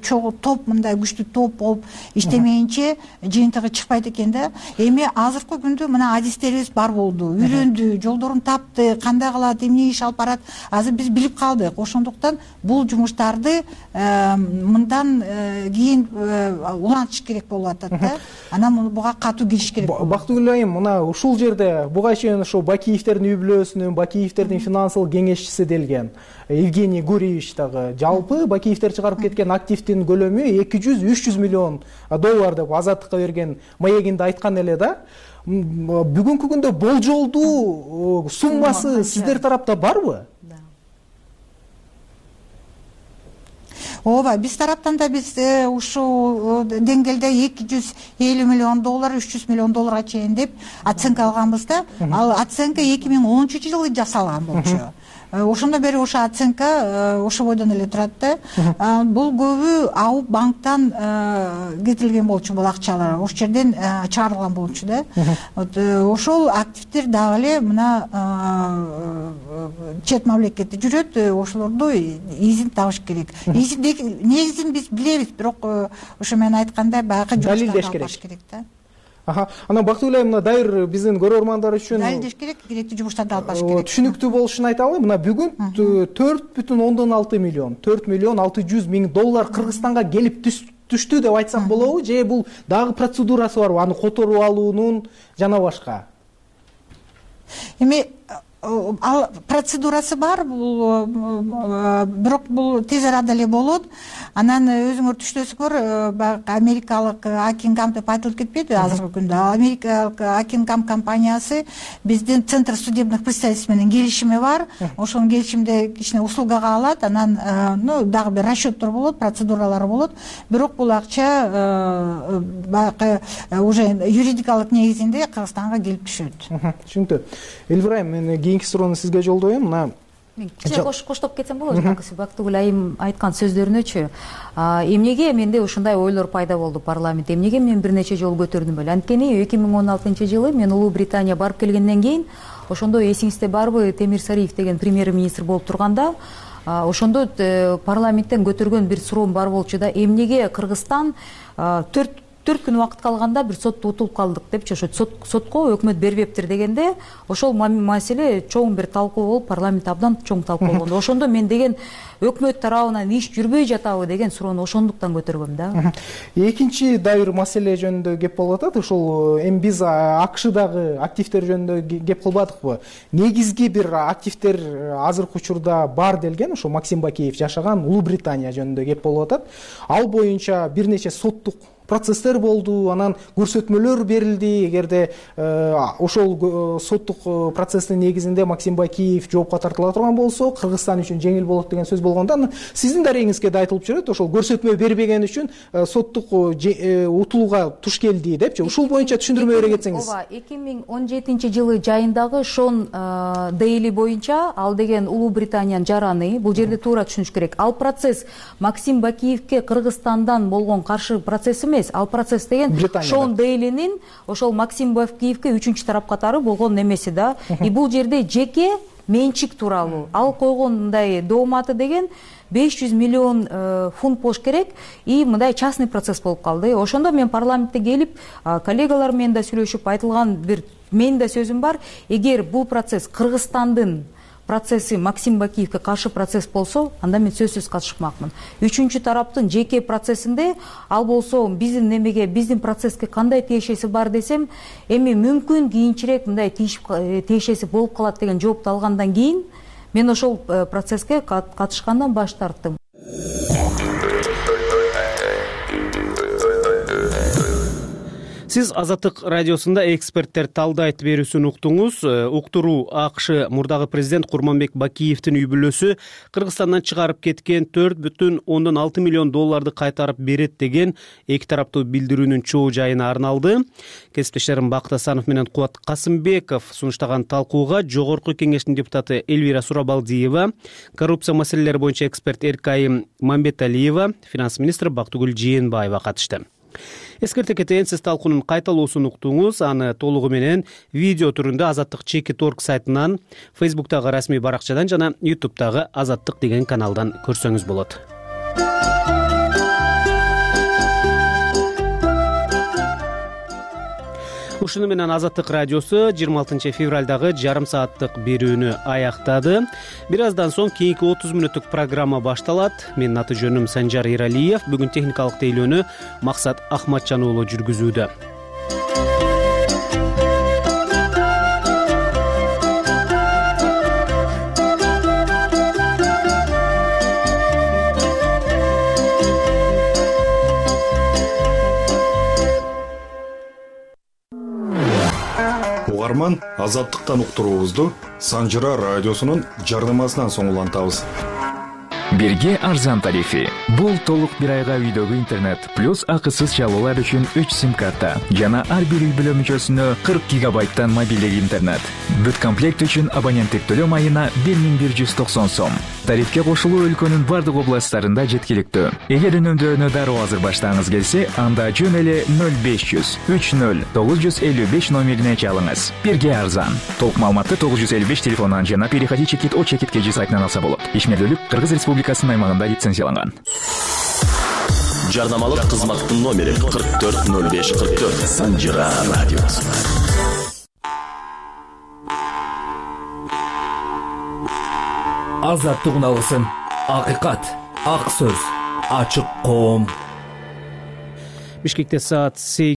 чогуу топ, мындай күчтүү топ болуп иштемейинче жыйынтыгы чыкпайт экен да. Эми азыркы күндө мына адистерибиз бар болду, үйрөндү, жолдорун тапты, кандай кылат, эмне иш алып барат, азыр биз билип калдык. Ошондуктан бул жумуштарды мындан кийин улантыш керек болуп атат да. Анан буга катуу кириш керек. Бактыгүл айым, мына ушул жерде буга чейин ошо Бакиевтердин үй-бүлөсүнүн, Бакиевтердин финансылык кеңешчиси делген Евгений Гурьевич дагы жалпы Бакиевтер чыгарып кеткен активдин көлөмү 200-300 миллион доллар деп Азаттыкка берген маегинде айткан эле да. Бүгүнкү күндө болжолдуу суммасы сиздер тарапта барбы? Ооба, биз тараптан да биз ушул деңгээлде 250 миллион доллар, 300 миллион долларга чейин деп оценка алганбыз да. Ал оценка 2010-жылы жасалган болчу. Ошондон бери ошо оценка ошо бойдон эле турат да. Бул көбү АУ банктан кетирилген болчу бул акчалар. Ошол жерден чыгарылган болчу да. Ошол активдер дагы эле мына чет мамлекетте жүрөт, ошолорду изин табыш керек. Негизин биз билебиз, бирок ошо мен айткандай баягы жумуштарды алыш керек да. Анан Бактыгүл айым, мына дайыр биздин көрөрмандар үчүн далилдеш керек, керектүү жумуштарды алып барыш керек. Түшүнүктүү болушун айталы. Мына бүгүн 4,6 миллион, 4 миллион 600 миң доллар Кыргызстанга келип түштү деп айтсак болобу, же бул дагы процедурасы барбы, аны которуп алуунун жана башка? Эми ал процедурасы бар, бирок бул тез арада эле болот. Анан өзүңөр түштөсүңөр, америкалык Акингам деп айтылып кетпеди азыркы күндө. Америкалык Акингам компаниясы биздин Центр судебных представительств менен келишими бар. Ошонун келишимде кичине услугага алат. Анан дагы бир расчеттор болот, процедуралар болот. Бирок бул акча баягы уже юридикалык негизинде Кыргызстанга келип түшөт. Түшүнүктүү. Элвира айым, мен кийинки суроону сизге жолдоем. Мына коштоп кетсем болобу? Бактыгүл айым айткан сөздөрүнөчү эмнеге менде ушундай ойлор пайда болду парламентте, эмнеге мен бир нече жолу көтөрдүм беле? Анткени 2016-жылы мен Улуу Британия барып келгенден кийин, ошондо эсиңизде барбы, Темир Сариев деген премьер-министр болуп турганда, ошондо парламенттен көтөргөн бир суроом бар болчу да, эмнеге Кыргызстан 4 күн убакыт калганда бир сотто утулуп калдык депчи, ошо сотко өкмөт бербептир дегенде, ошол маселе чоң бир талкуу болуп, парламент абдан чоң талкуу болгондо, ошондо мен деген өкмөт тарабынан иш жүрбөй жатабы деген суроону ошондуктан көтөргөм да. Экинчи дайыр маселе жөнүндө кеп болуп атат. Ошол эми биз АКШдагы активдер жөнүндө кеп кылбадыкпы? Негизги бир активдер азыркы учурда бар делген, ошо Максим Бакиев жашаган Улуу Британия жөнүндө кеп болуп атат. Ал боюнча бир нече соттук процесстер болду, анан көрсөтмөлөр берилди. Эгерде ошол соттук процесстин негизинде Максим Бакиев жоопко тартыла турган болсо, Кыргызстан үчүн жеңил болот деген сөз болгондо, сиздин дарегиңизге да айтылып жүрөт, ошол көрсөтмө бербеген үчүн соттук утулууга туш келди депчи. Ушул боюнча түшүндүрмө бере кетсеңиз. Ооба, 2017-жылы жайындагы Шон Дейли боюнча, ал деген Улуу Британиянын жараны, бул жерде туура түшүнүш керек. Ал процесс Максим Бакиевке Кыргызстандан болгон каршы процесс эмес, ал процесс деген Шон Дейлинин ошол Максим Бакиевке үчүнчү тарап катары болгон немеси да. И бул жерде жеке менчик тууралуу. Ал койгон мындай дооматы деген 500 миллион фунт болуш керек, и мындай частный процесс болуп калды. Ошондо мен парламентте келип, коллегалар менен да сүйлөшүп, айтылган бир менин да сөзүм бар. Эгер бул процесс Кыргызстандын процесси Максим Бакиевке каршы процесс болсо, анда мен сөзсүз катышмакмын. Үчүнчү тараптын жеке процессинде ал болсо биздин немеге, биздин процесске кандай тиешеси бар десем, эми мүмкүн кийинчерээк мындай тиешеси болуп калат деген жоопту алгандан кийин мен ошол процесске катышкандан баш тарттым. Сиз Азаттык радиосунда эксперттер талдайт берүүсүн уктуңуз. Уктуруу АКШ мурдагы президент Курманбек Бакиевдин үй-бүлөсү Кыргызстандан чыгарып кеткен 4,6 миллион долларды кайтарып берет деген эки тараптуу билдирүүнүн чоо жайына арналды. Кесиптештерим Бакыт Асанов менен Кубат Касымбеков сунуштаган талкууга Жогорку кеңештин депутаты Элвира Сурабалдиева, коррупция маселелери боюнча эксперт Эркайым Мамбеталиева, финанс министри Бактыгүл Жээнбаева катышты. Эскерте кетейин, сиз талкуунун кайталоосун уктуңуз. Аны толугу менен видео түрүндө Азаттык Чекит.org сайтынан, Facebook'тагы расмий баракчадан жана YouTube'тагы Азаттык деген каналдан көрсөңүз болот. ушуну менен Азаттык радиосу 26 февралдагы жарым сааттык берүүнү аяктады. Бир аздан соң кийинки 30 мүнөттүк программа башталат. Менин аты жөнүм Санжар Эралиев. Бүгүн техникалык тейлөөнү Максат Ахматжан уулу жүргүзүүдө. Угарман, Азаттыктан уктуруубузду Санжыра радиосунун жарнамасынан соң улантабыз. Бирге арзан тарифи. Бул толук бир айга үйдөгү интернет плюс акысыз чалуулар үчүн 3 сим-карта жана ар бир үй бүлө мүчөсүнө 40 гигабайттан мобилдик интернет. Бүт комплект үчүн абоненттик төлөм айына 1190 сом. Тарифке кошулуу өлкөнүн бардык областтарында жеткиликтүү. Эгер үнөмдөөнү дароо азыр баштагыңыз келсе, анда жөн эле 0500 30 955 номерине чалыңыз. Бирге арзан. Толук маалыматты 955 телефонунан жана переходи чекит о чекит kg сайтынан алса болот. Ишмердүүлүк Кыргыз Республикасынын аймагында лицензияланган. Жарнамалык кызматтын номери 440544 Санжыра радиосу. Азаттык алгысын, акыйкат, ак сөз, ачык коом. Бишкекте саат